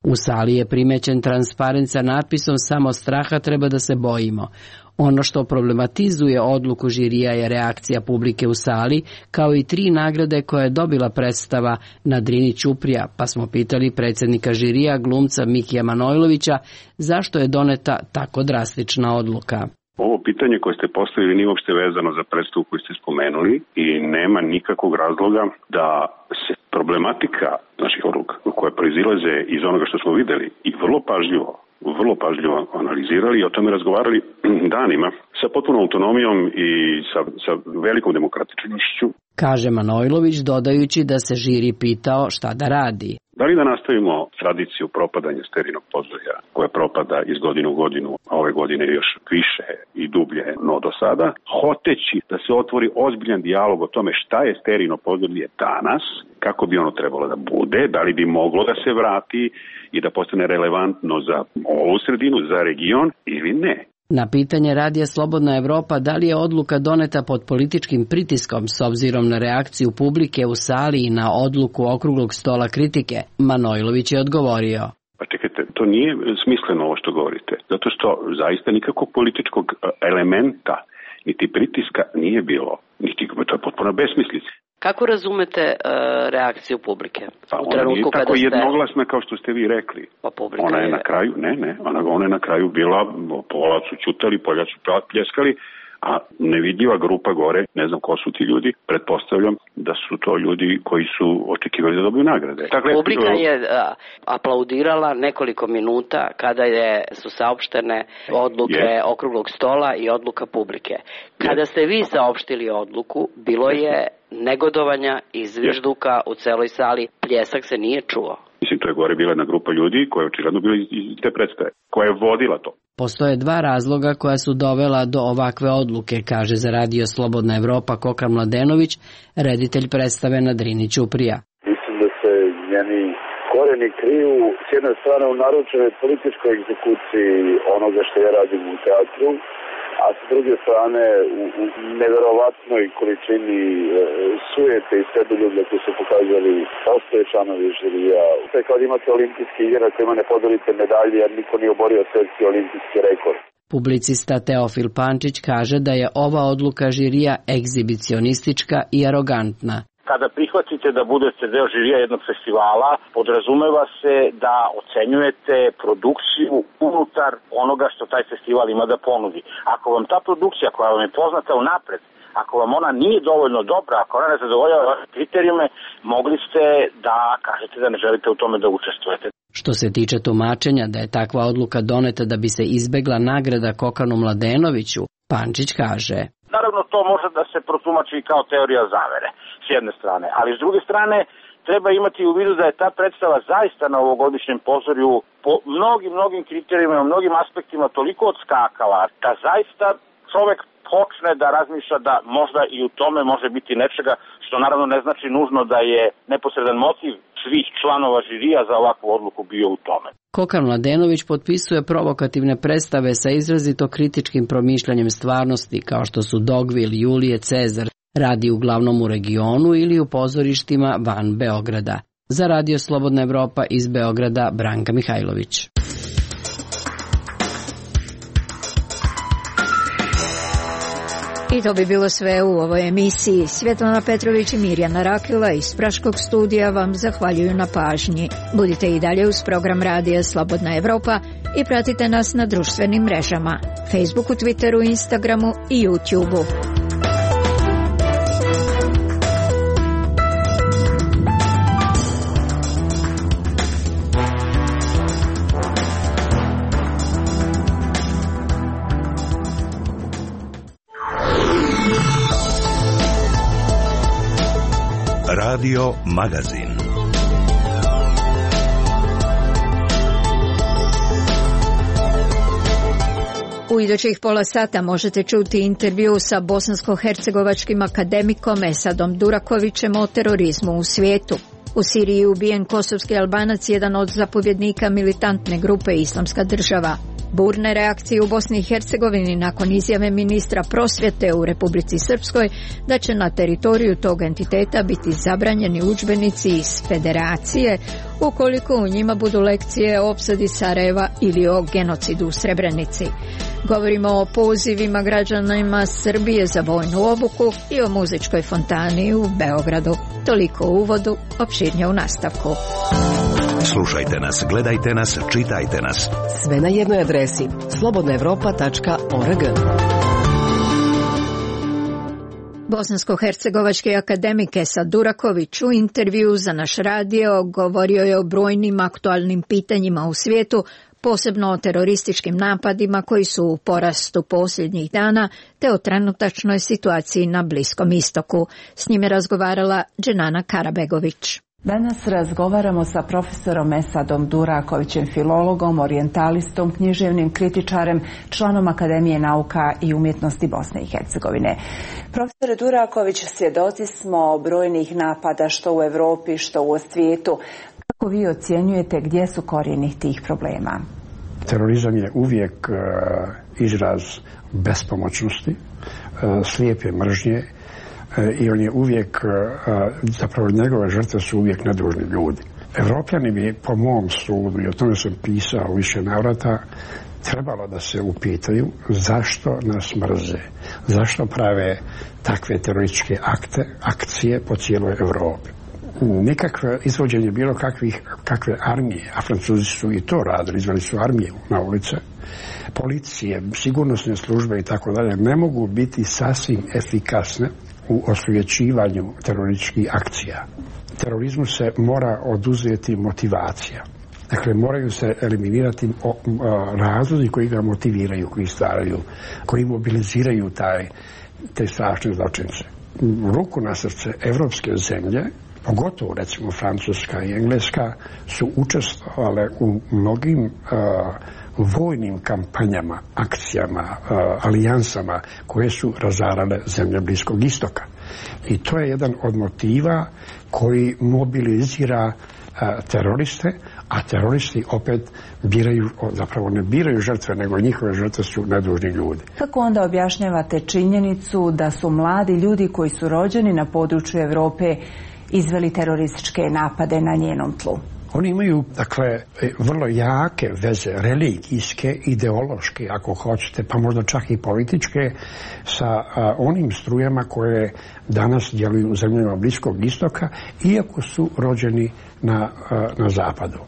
U sali je primećen transparent sa natpisom "Samo straha treba da se bojimo". Ono što problematizuje odluku žirija je reakcija publike u sali, kao i 3 nagrade koje je dobila predstava na Drini Ćuprija, pa smo pitali predsjednika žirija, glumca Mikija Manojlovića, zašto je doneta tako drastična odluka. Ovo pitanje koje ste postavili nije uopšte vezano za predstavu koju ste spomenuli i nema nikakvog razloga da se problematika naših odluka koje proizilaze iz onoga što smo videli i vrlo pažljivo analizirali i o tome razgovarali danima sa potpunom autonomijom i sa velikom demokratičnošću. Kaže Manojlović, dodajući da se žiri pitao šta da radi. Da li da nastavimo tradiciju propadanja Sterijinog pozorja, koja propada iz godine u godinu, a ove godine još više i dublje no do sada, hoteći da se otvori ozbiljan dijalog o tome šta je Sterijino pozorje danas, kako bi ono trebalo da bude, da li bi moglo da se vrati i da postane relevantno za ovu sredinu, za region ili ne. Na pitanje Radija Slobodna Evropa da li je odluka doneta pod političkim pritiskom s obzirom na reakciju publike u sali i na odluku Okruglog stola kritike, Manojlović je odgovorio. Pa čekajte, to nije smisleno ovo što govorite, zato što zaista nikakvog političkog elementa niti pritiska nije bilo, to je potpuno besmislica. Kako razumete reakciju publike? Pa ona nije tako jednoglasna kao što ste vi rekli. Pa ona je na kraju, ona je na kraju bila, pola su ćutali, polja su pljeskali, a nevidljiva grupa gore, ne znam ko su ti ljudi, pretpostavljam da su to ljudi koji su očekivali da dobiju nagrade. Dakle, publika je aplaudirala nekoliko minuta kada su saopštene odluke Okruglog stola i odluka publike. Kada ste vi saopštili odluku, bilo je negodovanja i zvižduka u celoj sali, pljesak se nije čuo. Mislim, to je gore bila jedna grupa ljudi koja je očigledno bila iz te predstave, koja je vodila to. Postoje 2 razloga koja su dovela do ovakve odluke, kaže za Radio Slobodna Evropa Kokan Mladenović, reditelj predstave na Drini Ćuprija. Mislim da se njeni koreni kriju s jedne strane u naručenoj političkoj egzekuciji onoga što ja radim u teatru, a s druge strane u neverovatnoj količini sujete i sebiljublja koji su pokazali postoje članovi žirija. Kad imate olimpijske igre na kojima ne podelite medalje jer niko nije oborio svetski olimpijski rekord. Publicista Teofil Pančić kaže da je ova odluka žirija egzibicionistička i arogantna. Kada prihvatite da budete deo žirija jednog festivala, podrazumeva se da ocenjujete produkciju unutar onoga što taj festival ima da ponudi. Ako vam ta produkcija koja vam je poznata unapred, ako vam ona nije dovoljno dobra, ako ona ne zadovoljava kriterijume, mogli ste da kažete da ne želite u tome da učestvujete. Što se tiče tumačenja da je takva odluka doneta da bi se izbegla nagrada Kokanu Mladenoviću, Pančić kaže: Naravno, to može da se protumači kao teorija zavere, s jedne strane, ali s druge strane treba imati u vidu da je ta predstava zaista na ovogodišnjem pozorju po mnogim kriterijima, u mnogim aspektima toliko odskakala da zaista čovek počne da razmišlja da možda i u tome može biti nečega, što naravno ne znači nužno da je neposredan motiv svih članova žirija za ovakvu odluku bio u tome. Kokan Mladenović potpisuje provokativne predstave sa izrazito kritičkim promišljanjem stvarnosti, kao što su Dogvil, Julije Cezar, radi uglavnom u regionu ili u pozorištima van Beograda. Za Radio Slobodna Evropa iz Beograda, Branka Mihajlović. I to bi bilo sve u ovoj emisiji. Svjetlana Petrović i Mirjana Rakela iz Praškog studija vam zahvaljuju na pažnji. Budite i dalje uz program Radija Slobodna Evropa i pratite nas na društvenim mrežama, Facebooku, Twitteru, Instagramu i YouTubeu. Radio Magazin. U idućih pola sata možete čuti intervju sa bosansko-hercegovačkim akademikom Esadom Durakovićem o terorizmu u svijetu. U Siriji je ubijen kosovski Albanac, jedan od zapovjednika militantne grupe Islamska država. Burne reakcije u Bosni i Hercegovini nakon izjave ministra prosvjete u Republici Srpskoj da će na teritoriju tog entiteta biti zabranjeni udžbenici iz Federacije ukoliko u njima budu lekcije o opsadi Sarajeva ili o genocidu u Srebrenici. Govorimo o pozivima građanima Srbije za vojnu obuku i o muzičkoj fontani u Beogradu. Toliko u uvodu, opširnije u nastavku. Slušajte nas, gledajte nas, čitajte nas. Sve na jednoj adresi slobodnaevropa.org. Bosansko-hercegovački akademik Esad Duraković u intervju za naš radio govorio je o brojnim aktualnim pitanjima u svijetu, posebno o terorističkim napadima koji su u porastu posljednjih dana, te o trenutačnoj situaciji na Bliskom istoku. S njim je razgovarala Dženana Karabegović. Danas razgovaramo sa profesorom Esadom Durakovićem, filologom, orijentalistom, književnim kritičarem, članom Akademije nauka i umjetnosti Bosne i Hercegovine. Profesore Duraković, svjedoci smo brojnih napada što u Europi, što u svijetu. Kako vi ocjenjujete gdje su korijeni tih problema? Terorizam je uvijek izraz bespomoćnosti, slijepe mržnje, i on je uvijek, zapravo njegove žrtve su uvijek nedužni ljudi. Evropljani bi, po mom sudu, i o tome sam pisao više navrata, trebalo da se upitaju zašto nas mrze, zašto prave takve terorističke akcije po cijeloj Evropi. Nikakve izvođenje bilo kakve armije, a Francuzi su i to radili, izveli su armiju na ulice, policije, sigurnosne službe i tako dalje, ne mogu biti sasvim efikasne u osvjećivanju terorističkih akcija. Terorizmu se mora oduzeti motivacija. Dakle, moraju se eliminirati razlozi koji ga motiviraju, koji stvaraju, koji mobiliziraju te strašne zločince. Ruku na srce, evropske zemlje, pogotovo recimo Francuska i Engleska, su učestvovale u mnogim vojnim kampanjama, akcijama, alijansama koje su razarale zemlje Bliskog istoka. I to je jedan od motiva koji mobilizira teroriste, a teroristi opet zapravo ne biraju žrtve, nego njihove žrtve su nedužni ljudi. Kako onda objašnjavate činjenicu da su mladi ljudi koji su rođeni na području Europe izveli terorističke napade na njenom tlu? Oni imaju, dakle, vrlo jake veze, religijske, ideološke, ako hoćete, pa možda čak i političke, sa onim strujama koje danas djeluju u zemljama Bliskog istoka, iako su rođeni na zapadu.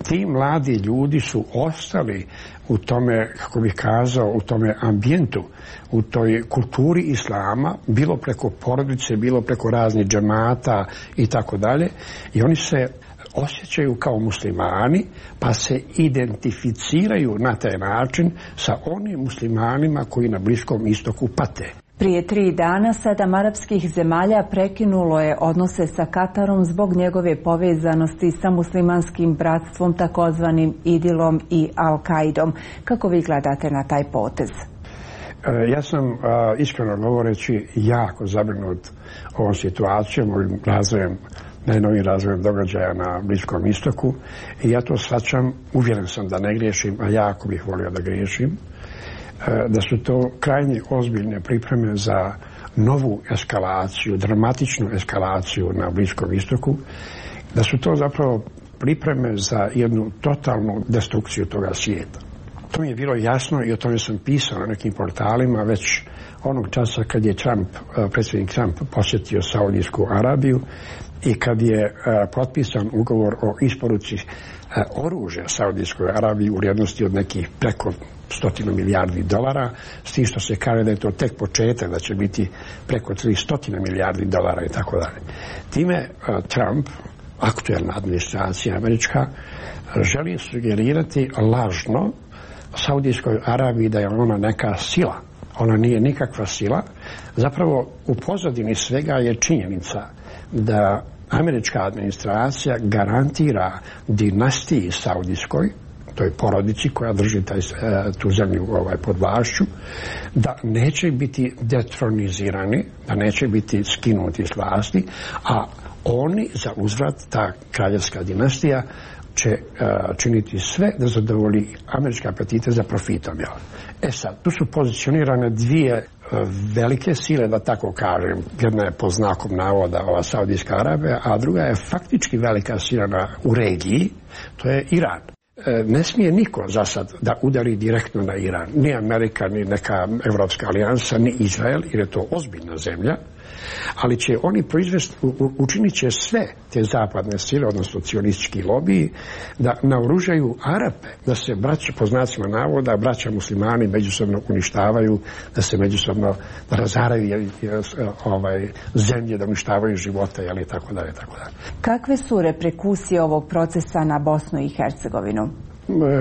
Ti mladi ljudi su ostali u tome, kako bih kazao, u tome ambijentu, u toj kulturi islama, bilo preko porodice, bilo preko raznih džemata i tako dalje, i oni se osjećaju kao muslimani, pa se identificiraju na taj način sa onim muslimanima koji na Bliskom istoku pate. Prije 3 dana 7 arapskih zemalja prekinulo je odnose sa Katarom zbog njegove povezanosti sa muslimanskim bratstvom, takozvanim Idilom i Al-Kaidom. Kako vi gledate na taj potez? Ja sam, iskreno govoreći, jako zabrinut ovom situacijom, ovim razvojem, najnovijim razvojem događaja na Bliskom istoku, i ja to shvaćam, uvjeren sam da ne griješim, a jako bih volio da griješim, da su to krajnje ozbiljne pripreme za novu eskalaciju, dramatičnu eskalaciju na Bliskom istoku, da su to zapravo pripreme za jednu totalnu destrukciju toga svijeta. To mi je bilo jasno i o tome sam pisao na nekim portalima već onog časa kad je predsjednik Trump posjetio Saudijsku Arabiju i kad je potpisan ugovor o isporuci oružja Saudijskoj Arabiji u vrijednosti od nekih preko $100 milijardi, s tim što se kaže da je to tek početak, da će biti preko $300 milijardi i tako dalje. Time Trump, aktuelna administracija američka, želi sugerirati lažno Saudijskoj Arabiji da je ona neka sila. Ona nije nikakva sila. Zapravo u pozadini svega je činjenica da američka administracija garantira dinastiji saudijskoj, toj porodici koja drži tu zemlju pod vlašću, da neće biti detronizirani, da neće biti skinuti s vlasti, a oni za uzvrat, ta kraljevska dinastija, će činiti sve da zadovolji američke apetite za profitom. Sad, tu su pozicionirane dvije velike sile, da tako kažem. Jedna je po znakom navoda ova Saudijska Arabija, a druga je faktički velika sila u regiji, to je Iran. Ne smije niko za sad da udari direktno na Iran. Ni Amerika, ni neka Evropska alijansa, ni Izrael, jer je to ozbiljna zemlja, ali će oni učinit će sve te zapadne sile, odnosno cionistički lobiji, da naoružaju Arape, da se po znacima navoda braća muslimani međusobno uništavaju, da se međusobno razaraju zemlje, da uništavaju živote, i tako dalje, tako dalje. Kakve su reperkusije ovog procesa na Bosnu i Hercegovinu?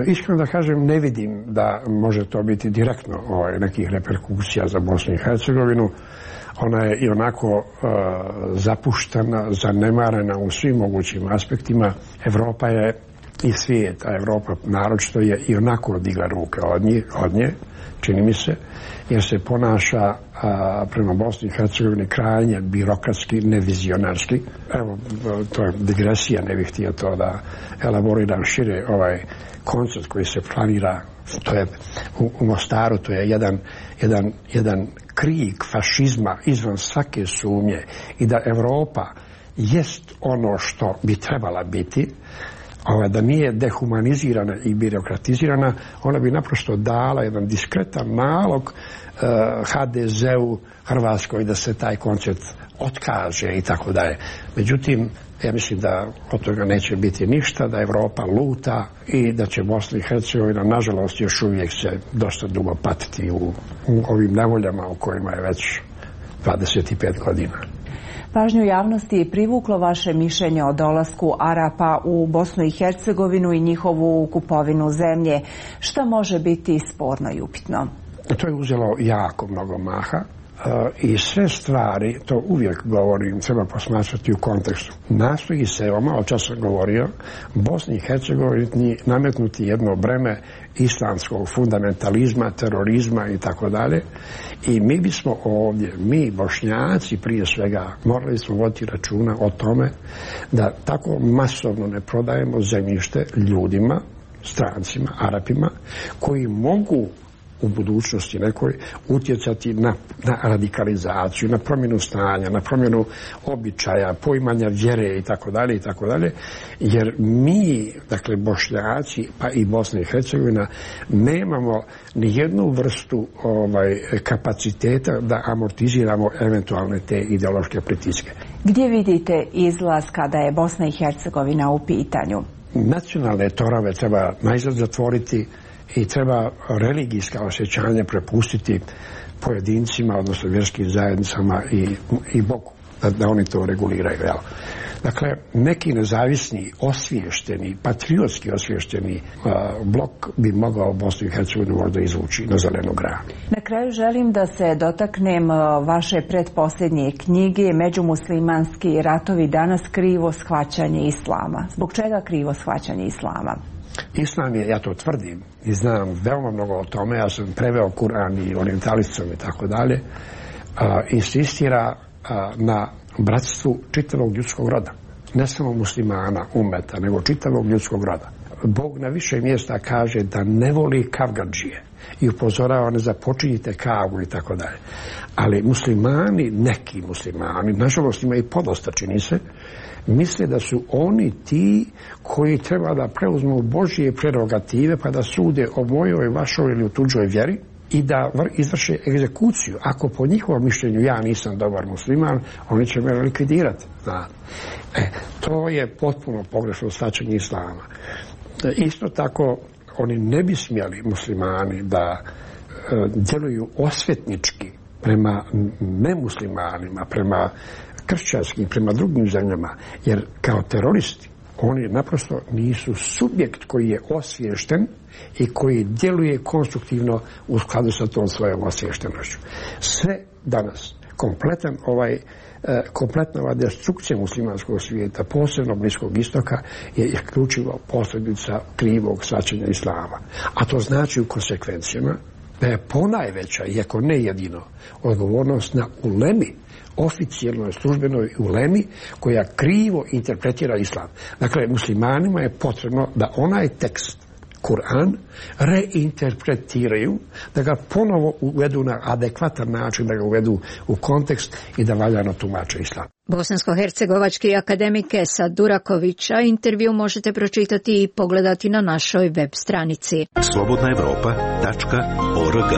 Iskreno da kažem, ne vidim da može to biti direktno nekih reperkusija za Bosnu i Hercegovinu. Ona je i onako zapuštena, zanemarena u svim mogućim aspektima. Evropa je i svijet, a Evropa naročito je i onako digla ruke od nje, čini mi se, jer se ponaša prema Bosni i Hercegovini krajnje birokratski, nevizionarski. Evo, to je digresija, ne bih htio to da elaboriram šire ovaj koncept koji se planira. To je u Mostaru, to je jedan krik fašizma izvan svake sumnje, i da Evropa jest ono što bi trebala biti, da nije dehumanizirana i birokratizirana, ona bi naprosto dala jedan diskretan nalog HDZ-u, Hrvatskoj, da se taj koncept otkaže i tako dalje. Međutim, ja mislim da od toga neće biti ništa, da Evropa luta i da će Bosna i Hercegovina, nažalost, još uvijek se dosta dugo patiti u ovim nevoljama u kojima je već 25 godina. Pažnju javnosti je privuklo vaše mišljenje o dolasku Arapa u Bosnu i Hercegovinu i njihovu kupovinu zemlje. Šta može biti sporno i upitno? To je uzelo jako mnogo maha. I sve stvari, to uvijek govorim, treba posmatrati u kontekstu. Nastoji se, malo čas sam govorio, Bosni i Hercegovini nametnuti jedno breme islamskog fundamentalizma, terorizma i tako dalje. I mi bismo ovdje, mi Bošnjaci prije svega, morali smo voditi računa o tome da tako masovno ne prodajemo zemljište ljudima, strancima, Arapima, koji mogu u budućnosti nekoj utjecati na radikalizaciju, na promjenu stanja, na promjenu običaja, poimanja vjere i tako dalje, jer mi, dakle Bošnjaci, pa i Bosna i Hercegovina, nemamo ni jednu vrstu kapaciteta da amortiziramo eventualne te ideološke pritiske. Gdje vidite izlaz kada je Bosna i Hercegovina u pitanju? Nacionalne torove treba najzad zatvoriti i treba religijska osjećanja prepustiti pojedincima, odnosno vjerskim zajednicama i Bogu, da oni to reguliraju. Dakle, neki nezavisni, osviješteni, patriotski osviješteni blok bi mogao Bosnu i Hercegovinu možda izvući na zelenu granu. Na kraju želim da se dotaknem vaše pretposljednje knjige Međumuslimanski ratovi danas, krivo shvaćanje islama. Zbog čega krivo shvaćanje islama? Islam je, ja to tvrdim i znam veoma mnogo o tome, ja sam preveo Kur'an i orijentalistom i tako dalje, insistira na bratstvu čitavog ljudskog roda. Ne samo muslimana, umeta, nego čitavog ljudskog roda. Bog na više mjesta kaže da ne voli kavgadžije, i upozorava ne započinjite kavu i tako dalje. Ali muslimani, neki muslimani, nažalost ima i podosta čini se, misle da su oni ti koji treba da preuzmu Božje prerogative pa da sude o mojoj, vašoj ili u tuđoj vjeri i da izvrše egzekuciju. Ako po njihovom mišljenju ja nisam dobar musliman, oni će me likvidirati. To je potpuno pogrešno shvaćanje islama. Isto tako, oni ne bi smjeli muslimani da djeluju osvetnički prema nemuslimanima, prema kršćanskim, prema drugim zemljama, jer kao teroristi oni naprosto nisu subjekt koji je osviješten i koji djeluje konstruktivno u skladu sa tom svojom osviještenošću. Sve danas, kompletna ova destrukcija muslimanskog svijeta, posebno Bliskog istoka, je isključivo posljedica krivog shvaćanja islama. A to znači u konsekvencijama da je ponajveća, iako ne jedino, odgovornost na ulemi, oficijelnoj službenoj ulemi koja krivo interpretira islam. Dakle, muslimanima je potrebno da onaj tekst, Kur'an, reinterpretiraju, da ga ponovo uvedu na adekvatan način, da ga uvedu u kontekst i da valjano tumače islam. Bosansko-hercegovački akademik Esad Durakovića intervju možete pročitati i pogledati na našoj web stranici. slobodnaevropa.org.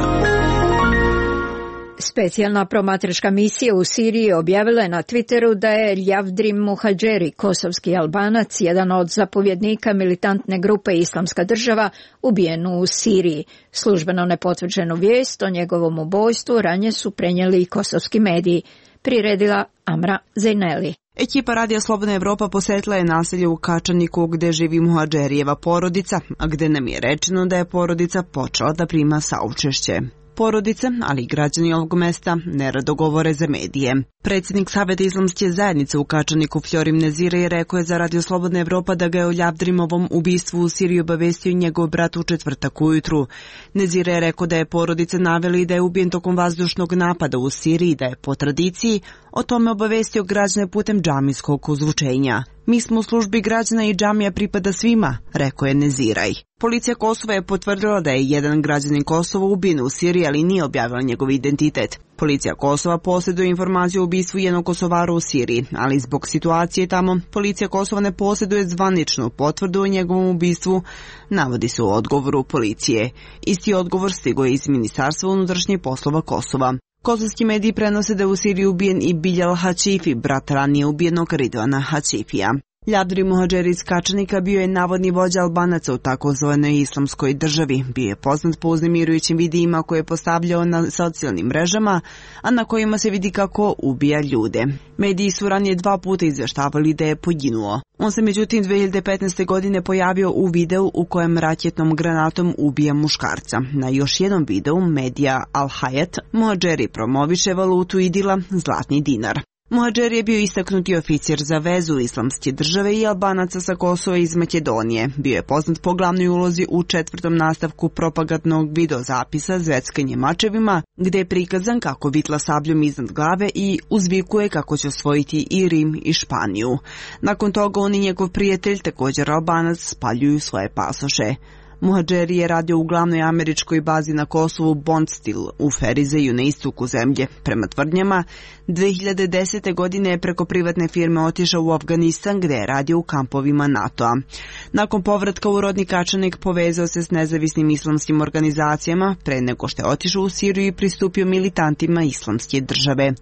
Specijalna promatračka misija u Siriji objavila je na Twitteru da je Ljavdrim Muhadžeri, kosovski Albanac, jedan od zapovjednika militantne grupe Islamska država, ubijen u Siriji. Službeno nepotvrđenu vijest o njegovom ubojstvu ranije su prenijeli i kosovski mediji. Priredila Amra Zejneli. Ekipa Radija Slobodna Evropa posjetila je naselje u Kačaniku gdje živi Muhadžerijeva porodica, a gdje nam je rečeno da je porodica počela da prima saučešće. Porodice, ali i građani ovog mesta, nerado govore za medije. Predsjednik Saveta Islamske zajednice u Kačaniku Florim Nezire je rekao je za Radio Slobodna Evropa da ga je o Ljavdrimovom ubistvu u Siriji obavestio njegov brat u četvrtak ujutru. Nezire je rekao da je porodice naveli da je ubijen tokom vazdušnog napada u Siriji, da je po tradiciji o tome obavestio građane putem džamijskog ozvučenja. Mi smo u službi građana i džamija pripada svima, rekao je Neziraj. Policija Kosova je potvrdila da je jedan građanin Kosova ubijen u Siriji, ali nije objavila njegov identitet. Policija Kosova posjeduje informaciju o ubistvu jednog Kosovara u Siriji, ali zbog situacije tamo, policija Kosova ne posjeduje zvaničnu potvrdu o njegovom ubistvu, navodi se u odgovoru policije. Isti odgovor stigao je iz Ministarstva unutrašnjih poslova Kosova. Kosovski mediji prenose da je u Siriji ubijen i Biljal Hačifi, brat ranije ubijenog Ridvana Hačifija. Ljavdrim Muhadžeri iz Kačanika bio je navodni vođa Albanaca u takozvanoj Islamskoj državi. Bio je poznat po uznemirujućim videima koje je postavljao na socijalnim mrežama, a na kojima se vidi kako ubija ljude. Mediji su ranije 2 puta izvještavali da je poginuo. On se međutim 2015. godine pojavio u videu u kojem raketnom granatom ubija muškarca. Na još jednom videu medija Al Hayat Muhadžeri promoviše valutu idila zlatni dinar. Muhadžer je bio istaknuti oficir za vezu Islamske države i Albanaca sa Kosova iz Makedonije. Bio je poznat po glavnoj ulozi u 4. nastavku propagandnog videozapisa Zveckanje mačevima, gde je prikazan kako vitla sabljom iznad glave i uzvikuje kako će osvojiti i Rim i Španiju. Nakon toga on i njegov prijatelj, također Albanac, spaljuju svoje pasoše. Muhadžeri je radio u glavnoj američkoj bazi na Kosovu Bondstil u Ferizeju na istoku zemlje. Prema tvrdnjama, 2010. godine je preko privatne firme otišao u Afganistan gdje je radio u kampovima NATO-a. Nakon povratka u rodni Kačanik povezao se s nezavisnim islamskim organizacijama pre nego što je otišao u Siriju i pristupio militantima Islamske države.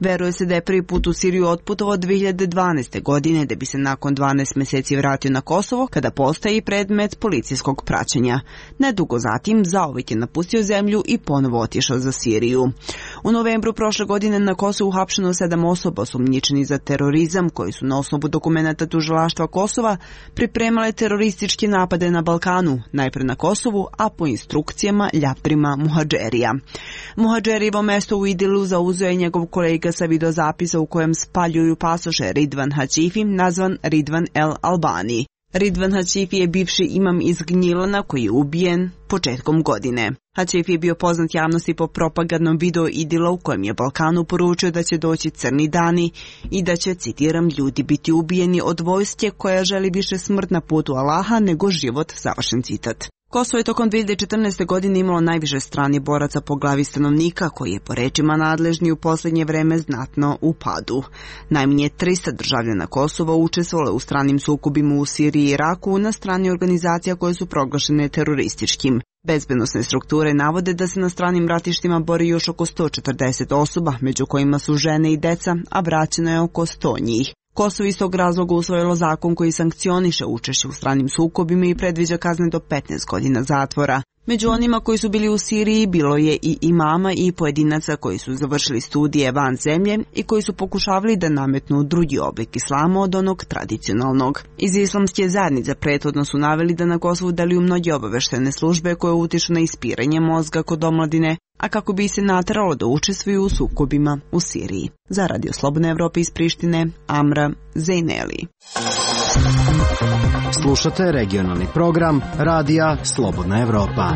Veruje se da je prvi put u Siriju otputovao 2012. godine da bi se nakon 12 mjeseci vratio na Kosovo kada postaje predmet policijskog praćenja. Nedugo zatim zauvijek je napustio zemlju i ponovo otišao za Siriju. U novembru prošle godine na Kosovu uhapšeno 7 osoba osumnjičeni za terorizam koji su na osnovu dokumenata tužilaštva Kosova pripremale terorističke napade na Balkanu, najpre na Kosovu, a po instrukcijama Ljavdrima Muhadžerija. Muhadžerijevo mesto u Idilu zauzeo je njegov kolega sa videozapisa u kojem spaljuju pasoše Ridvan Hačifi, nazvan Ridvan El Albani. Ridvan Hačifi je bivši imam iz Gnjilana koji je ubijen početkom godine. Hačifi je bio poznat javnosti po propagandnom videu Idila u kojem je Balkanu poručio da će doći crni dani i da će, citiram, ljudi biti ubijeni od vojske koja želi više smrt na putu Allaha nego život, završen citat. Kosovo je tokom 2014. godine imalo najviše stranih boraca po glavi stanovnika, koji je po rečima nadležni u posljednje vreme znatno u padu. Najmanje 300 državljana Kosova učestvovalo u stranim sukobima u Siriji i Iraku na strani organizacija koje su proglašene terorističkim. Bezbednosne strukture navode da se na stranim ratištima bori još oko 140 osoba, među kojima su žene i deca, a vraćeno je oko 100 njih. Kosovo iz tog razloga usvojilo zakon koji sankcioniše učešće u stranim sukobima i predviđa kazne do 15 godina zatvora. Među onima koji su bili u Siriji bilo je i imama i pojedinaca koji su završili studije van zemlje i koji su pokušavali da nametnu drugi oblik islama od onog tradicionalnog. Iz islamske zajednice prethodno su naveli da na Kosovu deluju mnoge obaveštene službe koje utiču na ispiranje mozga kod omladine, a kako bi se nateralo da učestvuju u sukobima u Siriji. Za Radio Slobodne Evrope iz Prištine, Amra Zejneli. Slušate regionalni program Radija Slobodna Evropa.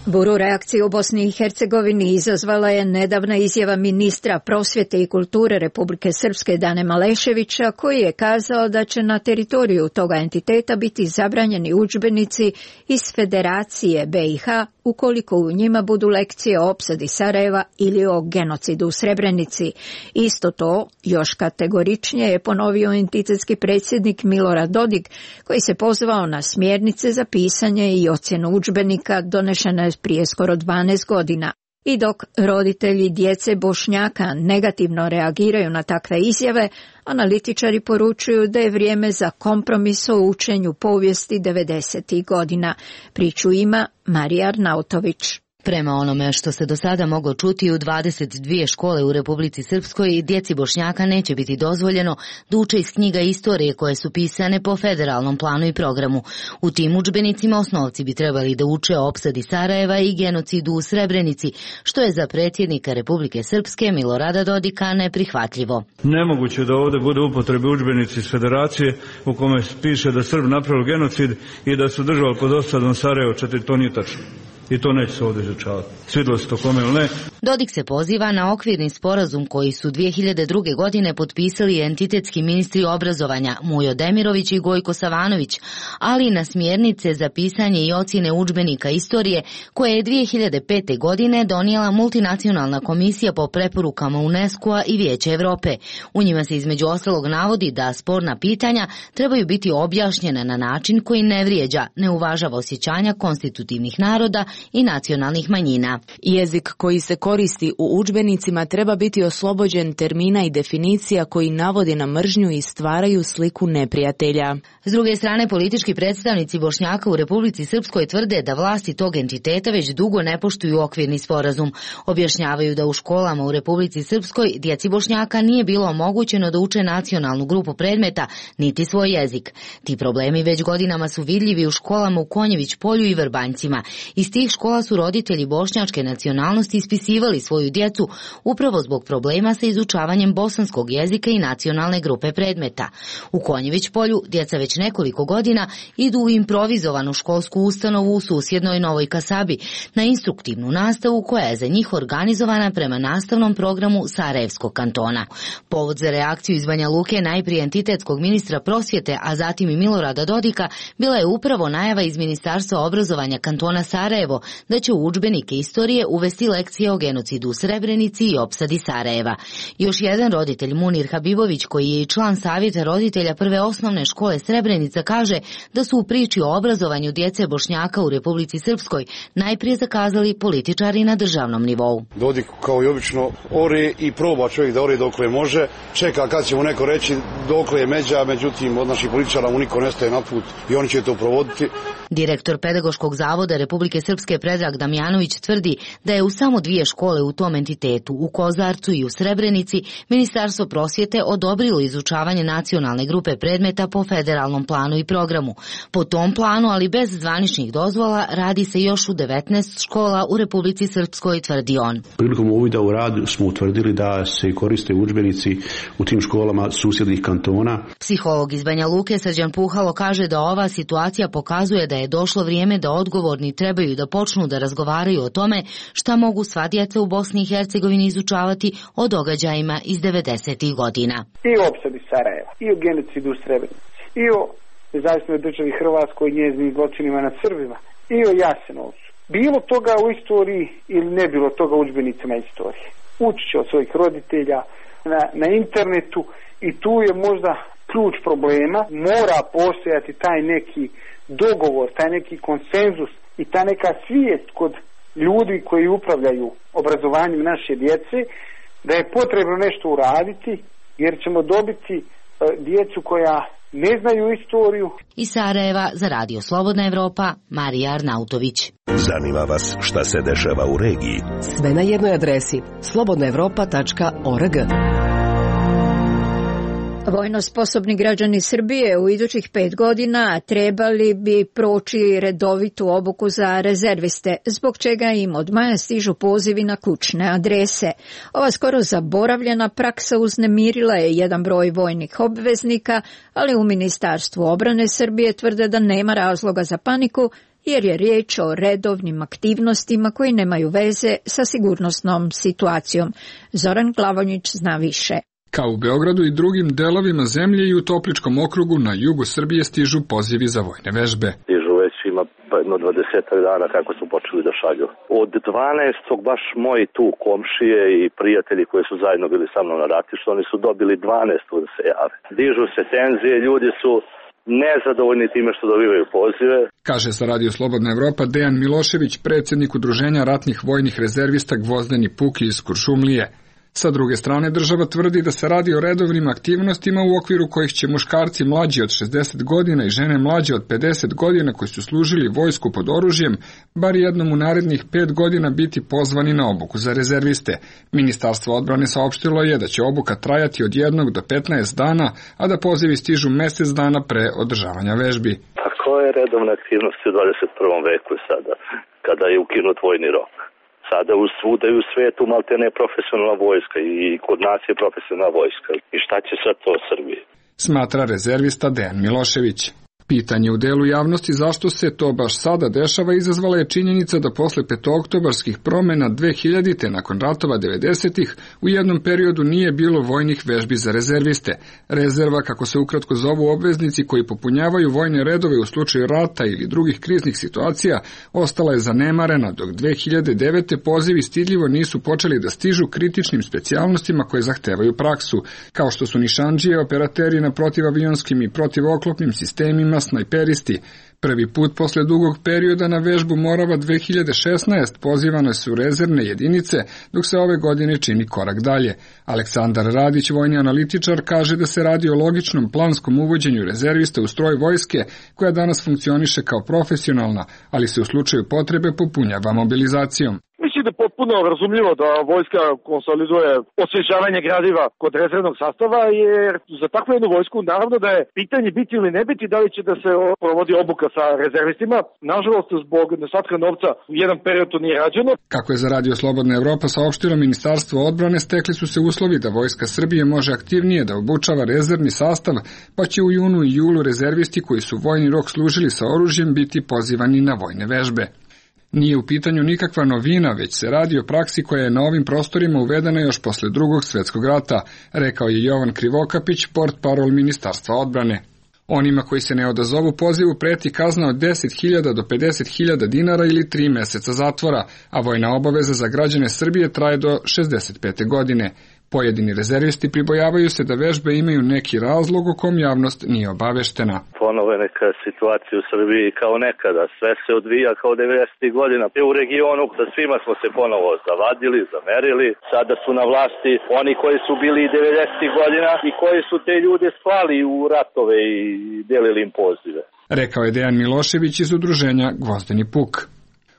Buru reakciju u Bosni i Hercegovini izazvala je nedavna izjava ministra prosvjete i kulture Republike Srpske Dane Maleševića, koji je kazao da će na teritoriju toga entiteta biti zabranjeni udžbenici iz Federacije BiH ukoliko u njima budu lekcije o opsadi Sarajeva ili o genocidu u Srebrenici. Isto to još kategoričnije je ponovio entitetski predsjednik Milorad Dodik, koji se pozvao na smjernice za pisanje i ocjenu udžbenika donešene prije skoro 12 godina. I dok roditelji djece Bošnjaka negativno reagiraju na takve izjave, analitičari poručuju da je vrijeme za kompromis o učenju povijesti 90. godina. Priču ima Marija Arnautović. Prema onome što se do sada moglo čuti u 22 škole u Republici Srpskoj, djeci Bošnjaka neće biti dozvoljeno da uče iz knjiga istorije koje su pisane po federalnom planu i programu. U tim udžbenicima osnovci bi trebali da uče o opsadi Sarajeva i genocidu u Srebrenici, što je za predsjednika Republike Srpske Milorada Dodika neprihvatljivo. Nemoguće da ovdje bude upotrebe udžbenici iz Federacije u kome piše da Srb napravili genocid i da su držali pod osadom Sarajevo 4, to nije tačno. I to neće se ovdje izučavati. Svidilo se to kome ili ne. Dodik se poziva na okvirni sporazum koji su 2002. godine potpisali entitetski ministri obrazovanja Mujo Demirović i Gojko Savanović, ali i na smjernice za pisanje i ocjene udžbenika istorije koje je 2005. godine donijela multinacionalna komisija po preporukama UNESCO-a i Vijeća Evrope. U njima se između ostalog navodi da sporna pitanja trebaju biti objašnjena na način koji ne vrijeđa, ne uvažava osjećanja konstitutivnih naroda i nacionalnih manjina. Jezik koji se koristi u udžbenicima treba biti oslobođen termina i definicija koji navode na mržnju i stvaraju sliku neprijatelja. S druge strane, politički predstavnici Bošnjaka u Republici Srpskoj tvrde da vlasti tog entiteta već dugo ne poštuju okvirni sporazum. Objašnjavaju da u školama u Republici Srpskoj djeci Bošnjaka nije bilo omogućeno da uče nacionalnu grupu predmeta, niti svoj jezik. Ti problemi već godinama su vidljivi u školama u Konjević polju i Vrbanjcima. Iz tih škola su roditelji bošnjačke nacionalnosti ispisivali svoju djecu upravo zbog problema sa izučavanjem bosanskog jezika i nacionalne grupe predmeta. U Konjević polju djeca već nekoliko godina idu u improvizovanu školsku ustanovu u susjednoj Novoj Kasabi na instruktivnu nastavu koja je za njih organizovana prema nastavnom programu Sarajevskog kantona. Povod za reakciju iz Banja Luke najprije entitetskog ministra prosvjete, a zatim i Milorada Dodika, bila je upravo najava iz Ministarstva obrazovanja kantona Sarajevo da će u udžbenike istorije uvesti lekcije o genocidu u Srebrenici i opsadi Sarajeva. Još jedan roditelj, Munir Habibović, koji je i član savjeta roditelja prve osnovne škole Srebrenica, kaže da su u priči o obrazovanju djece Bošnjaka u Republici Srpskoj najprije zakazali političari na državnom nivou. Dodik kao i obično ore i proba čovjek da ore dokle može, čeka kad će mu neko reći dokle je međa, međutim od naših političara mu niko ne staje na put i oni će to provoditi. Direktor Pedagoškog zavoda Republike Srpske Predrag Damjanović tvrdi da je u samo 2 škole u tom entitetu, u Kozarcu i u Srebrenici, Ministarstvo prosvjete odobrilo izučavanje nacionalne grupe predmeta po federalnom planu i programu. Po tom planu, ali bez zvaničnih dozvola, radi se još u 19 škola u Republici Srpskoj, tvrdi on. Prilikom uvida u rad smo utvrdili da se koriste udžbenici u tim školama susjednih kantona. Psiholog iz Banja Luke Srđan Puhalo kaže da ova situacija pokazuje da je došlo vrijeme da odgovorni trebaju da počnu da razgovaraju o tome šta mogu sva djeca u Bosni i Hercegovini izučavati o događajima iz 90. godina. I o opsadi Sarajeva, i o genocidu u Srebrenici, i o nezavisnoj državi Hrvatskoj i njezinim zločinima nad Srbima i o Jasenovcu. Bilo toga u istoriji ili ne bilo toga u udžbenicima istorije. Ući će od svojih roditelja na internetu i tu je možda ključ problema. Mora postojati taj neki dogovor, taj neki konsenzus i ta neka svijest kod ljudi koji upravljaju obrazovanjem naše djece da je potrebno nešto uraditi jer ćemo dobiti djecu koja ne znaju istoriju. Iz Sarajeva za Radio Slobodna Evropa, Marija Arnautović. Zanima vas šta se dešava u regiji? Sve na jednoj adresi slobodnaevropa.org. Vojno sposobni građani Srbije u idućih 5 godina trebali bi proći redovitu obuku za rezerviste, zbog čega im od maja stižu pozivi na kućne adrese. Ova skoro zaboravljena praksa uznemirila je jedan broj vojnih obveznika, ali u Ministarstvu obrane Srbije tvrde da nema razloga za paniku, jer je riječ o redovnim aktivnostima koji nemaju veze sa sigurnosnom situacijom. Zoran Glavonjić zna više. Kao u Beogradu i drugim delovima zemlje i u Topličkom okrugu na jugu Srbije stižu pozivi za vojne vežbe. Stižu već ima jedno 20 dana kako su počeli da šalju. Od 12. baš moji tu komšije i prijatelji koji su zajedno bili sa mnom na ratištu, oni su dobili 12. da se jave. Dižu se tenzije, ljudi su nezadovoljni time što dobivaju pozive. Kaže za Radio Slobodna Evropa Dejan Milošević, predsjednik Udruženja ratnih vojnih rezervista Gvozdeni Puki iz Kuršumlije. Sa druge strane, država tvrdi da se radi o redovnim aktivnostima u okviru kojih će muškarci mlađi od 60 godina i žene mlađe od 50 godina koji su služili vojsku pod oružjem, bar jednom u narednih 5 godina biti pozvani na obuku za rezerviste. Ministarstvo odbrane saopštilo je da će obuka trajati od 1 do 15 dana, a da pozivi stižu mjesec dana pre održavanja vežbi. A koje redovne aktivnosti u 21. veku sada, kada je ukinut vojni rok? Sada u svuda i u svetu malte ne profesionalna vojska i kod nas je profesionalna vojska. I šta će sad to Srbiji? Smatra rezervista Dejan Milošević. Pitanje u delu javnosti zašto se to baš sada dešava izazvala je činjenica da posle petooktobarskih promjena 2000-te nakon ratova 90-ih u jednom periodu nije bilo vojnih vežbi za rezerviste. Rezerva, kako se ukratko zovu obveznici koji popunjavaju vojne redove u slučaju rata ili drugih kriznih situacija, ostala je zanemarena, dok 2009. pozivi stidljivo nisu počeli da stižu kritičnim specijalnostima koje zahtevaju praksu, kao što su nišandžije, operateri na protivavijonskim i protivoklopnim sistemima, snajperisti. Prvi put posle dugog perioda na vežbu Morava 2016 pozivane su rezervne jedinice, dok se ove godine čini korak dalje. Aleksandar Radić, vojni analitičar, kaže da se radi o logičnom planskom uvođenju rezervista u stroj vojske, koja danas funkcioniše kao profesionalna, ali se u slučaju potrebe popunjava mobilizacijom. Mislim da je potpuno razumljivo da vojska konsoliduje osvježavanje gradiva kod rezervnog sastava, jer za takvu jednu vojsku naravno da je pitanje biti ili ne biti, da li će da se provodi obuka sa rezervistima. Nažalost, zbog nedostatka novca u jedan period to nije rađeno. Kako je za Radio Slobodna Evropa saopštilo Ministarstvo odbrane, stekli su se uslovi da Vojska Srbije može aktivnije da obučava rezervni sastav, pa će u junu i julu rezervisti koji su vojni rok služili sa oružjem biti pozivani na vojne vežbe. Nije u pitanju nikakva novina, već se radi o praksi koja je na ovim prostorima uvedena još posle Drugog svjetskog rata, rekao je Jovan Krivokapić, portparol Ministarstva odbrane. Onima koji se ne odazovu pozivu preti kazna od 10.000 do 50.000 dinara ili 3 mjeseca zatvora, a vojna obaveza za građane Srbije traje do 65. godine. Pojedini rezervisti pribojavaju se da vežbe imaju neki razlog o kom javnost nije obaveštena. Ponovo je neka situacija u Srbiji kao nekada. Sve se odvija kao 90. godina. U regionu sa svima smo se ponovo zavadili, zamerili. Sada su na vlasti oni koji su bili 90. godina i koji su te ljude slali u ratove i delili im pozive. Rekao je Dejan Milošević iz udruženja Gvozdeni Puk.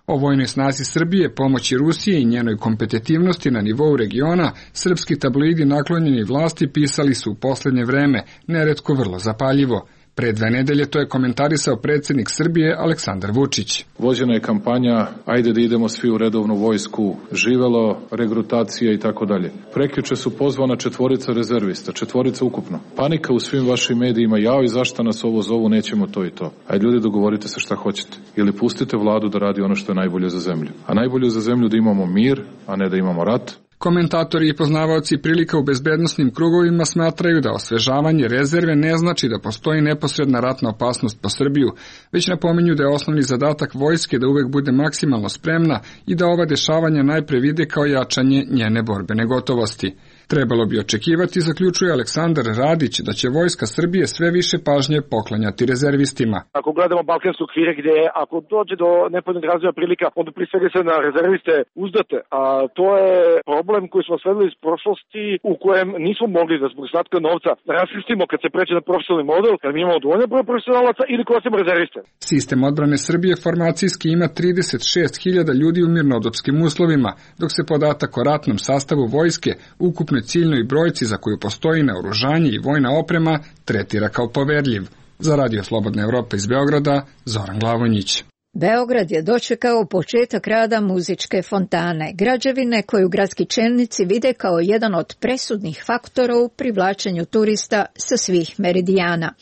O vojnoj snazi Srbije, pomoći Rusije i njenoj kompetitivnosti na nivou regiona, srpski tabloidi naklonjeni vlasti pisali su u posljednje vreme, neretko vrlo zapaljivo. Pre 2 nedelje to je komentarisao predsjednik Srbije Aleksandar Vučić. Vođena je kampanja, ajde da idemo svi u redovnu vojsku, živelo, regrutacija i tako dalje. Prekjuče su pozvana 4 rezervista, 4 ukupno. Panika u svim vašim medijima, jao i zašto nas ovo zovu, nećemo to i to. Ajde ljudi, dogovorite se šta hoćete. Ili pustite vladu da radi ono što je najbolje za zemlju. A najbolje za zemlju da imamo mir, a ne da imamo rat. Komentatori i poznavaoci prilika u bezbednosnim krugovima smatraju da osvežavanje rezerve ne znači da postoji neposredna ratna opasnost po Srbiju, već napominju da je osnovni zadatak vojske da uvek bude maksimalno spremna i da ova dešavanja najpre vide kao jačanje njene borbene gotovosti. Trebalo bi očekivati, zaključuje Aleksandar Radić, da će Vojska Srbije sve više pažnje poklanjati rezervistima. Ako gledamo balkanske okvire gdje ako dođe do nepovoljnog razvoja prilika, onda prije svega se na rezerviste uzdate, a to je problem koji smo sledili iz prošlosti u kojem nismo mogli da zbog slatka novca raskrstimo kad se pređe na profesionalni model, kad mi imamo dovoljno broj profesionalaca ili koristimo rezerviste. Sistem odbrane Srbije formacijski ima 36.000 ljudi u mirnodopskim uslovima, dok se podatak o ratnom sastavu vojske, ukupnoj ciljnoj brojci za koju postoji naoružanje i vojna oprema, tretira kao poverljiv. Za Radio Slobodna Evropa iz Beograda, Zoran Glavonjić. Beograd je dočekao početak rada muzičke fontane, građevine koju gradski čelnici vide kao jedan od presudnih faktora u privlačenju turista sa svih meridijana.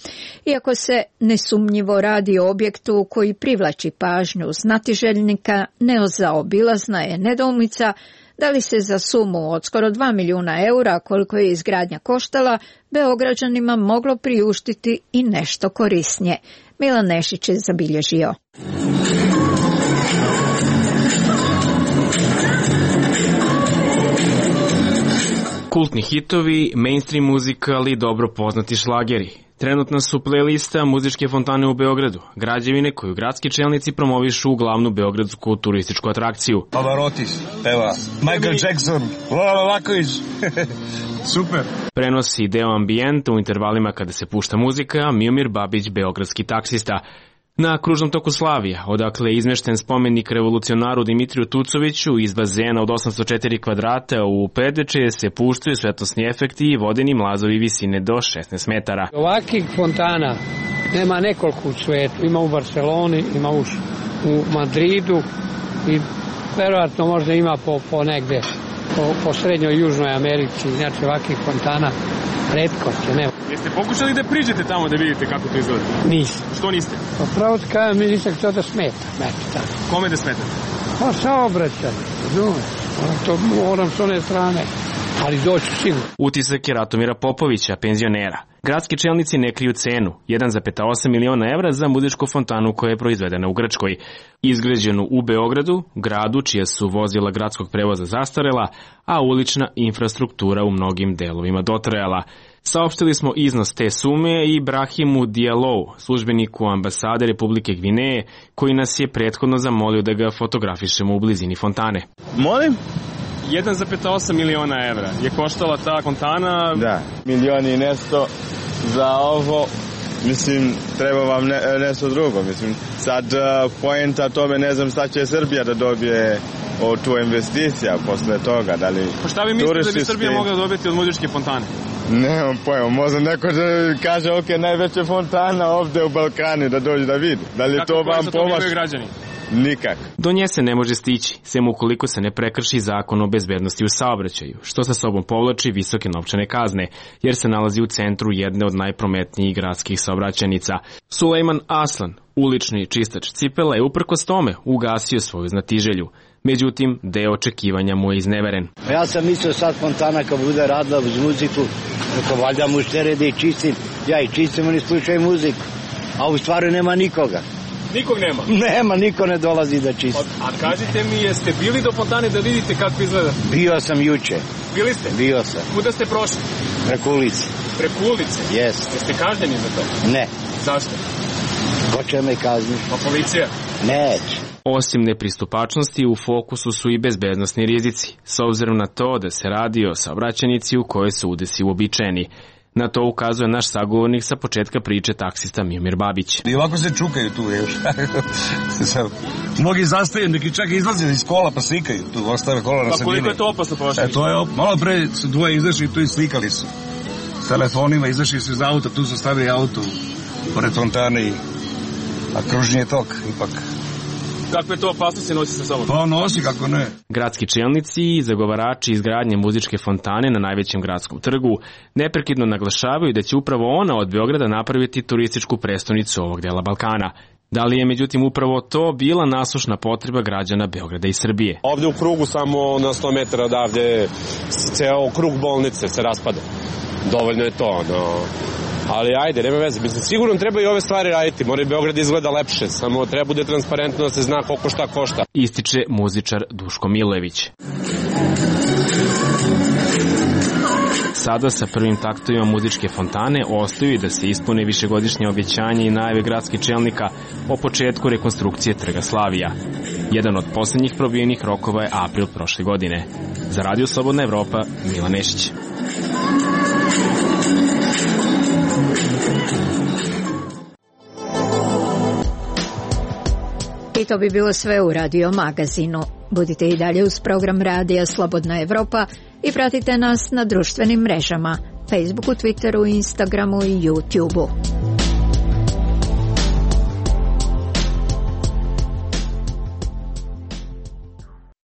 Iako se nesumnjivo radi o objektu koji privlači pažnju znatiželjnika, nezaobilazna je nedoumica da li se za sumu od skoro 2 milijuna eura, koliko je izgradnja koštala, Beograđanima moglo priuštiti i nešto korisnije. Milan Nešić je zabilježio. Kultni hitovi, mainstream muzika, ali dobro poznati šlageri. Trenutna su playlista muzičke fontane u Beogradu, građevine koju gradski čelnici promovišu u glavnu beogradsku turističku atrakciju. Pavarotti peva, Michael Jackson, Lola Laković, super. Prenosi deo ambijenta u intervalima kada se pušta muzika, Miomir Babić, beogradski taksista. Na kružnom toku Slavija, odakle je izmešten spomenik revolucionaru Dimitriju Tucoviću iz bazena od 804 kvadrata u Predvečje se puštaju svetlosni efekti i vodeni mlazovi visine do 16 metara. Ovakih fontana nema nekoliko u svetu. Ima u Barceloni, ima u Madridu i verovatno možda ima po negde, po srednjoj i južnoj Americi. Znači ovakih fontana retkost je, nema. Jeste pokušali da priđete tamo da vidite kako to izgleda? Nisam. Što niste? Pa pravo ti kajem, mi nisam htio da smeta. Kome da smeta? Pa saobraćaj, razumeš. To moram s one strane, ali doću sigurno. Utisak je Ratomira Popovića, penzionera. Gradski čelnici ne kriju cenu, 1,8 miliona evra za muzičku fontanu koja je proizvedena u Grčkoj. Izgrađenu u Beogradu, gradu čija su vozila gradskog prevoza zastarela, a ulična infrastruktura u mnogim delovima dotrajala. Saopštili smo iznos te sume i Brahimu Dialou, službeniku ambasade Republike Gvineje, koji nas je prethodno zamolio da ga fotografišemo u blizini fontane. Molim? 1,8 miliona evra je koštala ta fontana. Da, milion i nešto za ovo. Mislim, treba vam nešto drugo. Mislim, sad poenta tome, ne znam šta će Srbija da dobije od tu investicija posle toga. Da li pa šta vi mislite da bi Srbija mogla dobiti od muzičke fontane? Nemam pojma, možda neko da kaže ok, najveća fontana ovde u Balkanu da dođe da vidi. Da li to vam pomaže? Građani? Nikak. Do nje se ne može stići, sem ukoliko se ne prekrši zakon o bezbednosti u saobraćaju, što sa sobom povlači visoke novčane kazne, jer se nalazi u centru jedne od najprometnijih gradskih saobraćajnica. Sulejman Aslan, ulični čistač cipela, je uprkos tome ugasio svoju znatiželju. Međutim, deo očekivanja mu je izneveren. Ja sam mislio sad fontana kad bude radila uz muziku, kako valjda muštere da ih čistim, ja ih čistim, oni slučaju muziku, a u stvari nema nikoga. Nikog nema? Nema, niko ne dolazi da čisti. A kažite mi, jeste bili do fontane da vidite kako izgleda? Bio sam juče. Bili ste? Bio sam. Kuda ste prošli? Preko ulice. Preko ulice? Jeste. Jeste kažnjeni za to? Ne. Zašto? Ko će me kazniti? Pa policija? Neće. Osim nepristupačnosti, u fokusu su i bezbednosni rizici, s obzirom na to da se radi o saobraćajnici u kojoj su udesi uobičajeni. Na to ukazuje naš sagovornik sa početka priče, taksista Miomir Babić. I ovako se čukaju tu još. Mnogi zastaju, neki čak izlaze iz kola pa slikaju. Tu ostave kola na sredini. Pa koliko je to opasno prošlo? To je malo pre su dvoje izašli tu i slikali su. S telefonima izašli su iz auta, tu su stavili auto pored fontane i kružni je tok ipak. Kakve to opasnosti nosi sa sobom? Pa nosi, kako ne. Gradski čelnici i zagovarači izgradnje muzičke fontane na najvećem gradskom trgu neprekidno naglašavaju da će upravo ona od Beograda napraviti turističku prestonicu ovog dela Balkana. Da li je međutim upravo to bila nasušna potreba građana Beograda i Srbije? Ovde u krugu samo na 100 metara odavde ceo krug bolnice se raspada. Dovoljno je to, ali ajde, nema veze. Mislim, sigurno treba i ove stvari raditi. Mora i Beograd izgleda lepše, samo treba bude transparentno da se zna koliko šta košta. Ističe muzičar Duško Milojević. Sada sa prvim taktovima muzičke fontane ostaju i da se ispune višegodišnje obećanje i najave gradskih čelnika o početku rekonstrukcije Trga Slavija. Jedan od poslednjih probijenih rokova je april prošle godine. Za Radio Slobodna Evropa, Milan Nešić. I to bi bilo sve u Radio Magazinu. Budite i dalje uz program Radija Slobodna Evropa i pratite nas na društvenim mrežama, Facebooku, Twitteru, Instagramu i YouTubeu.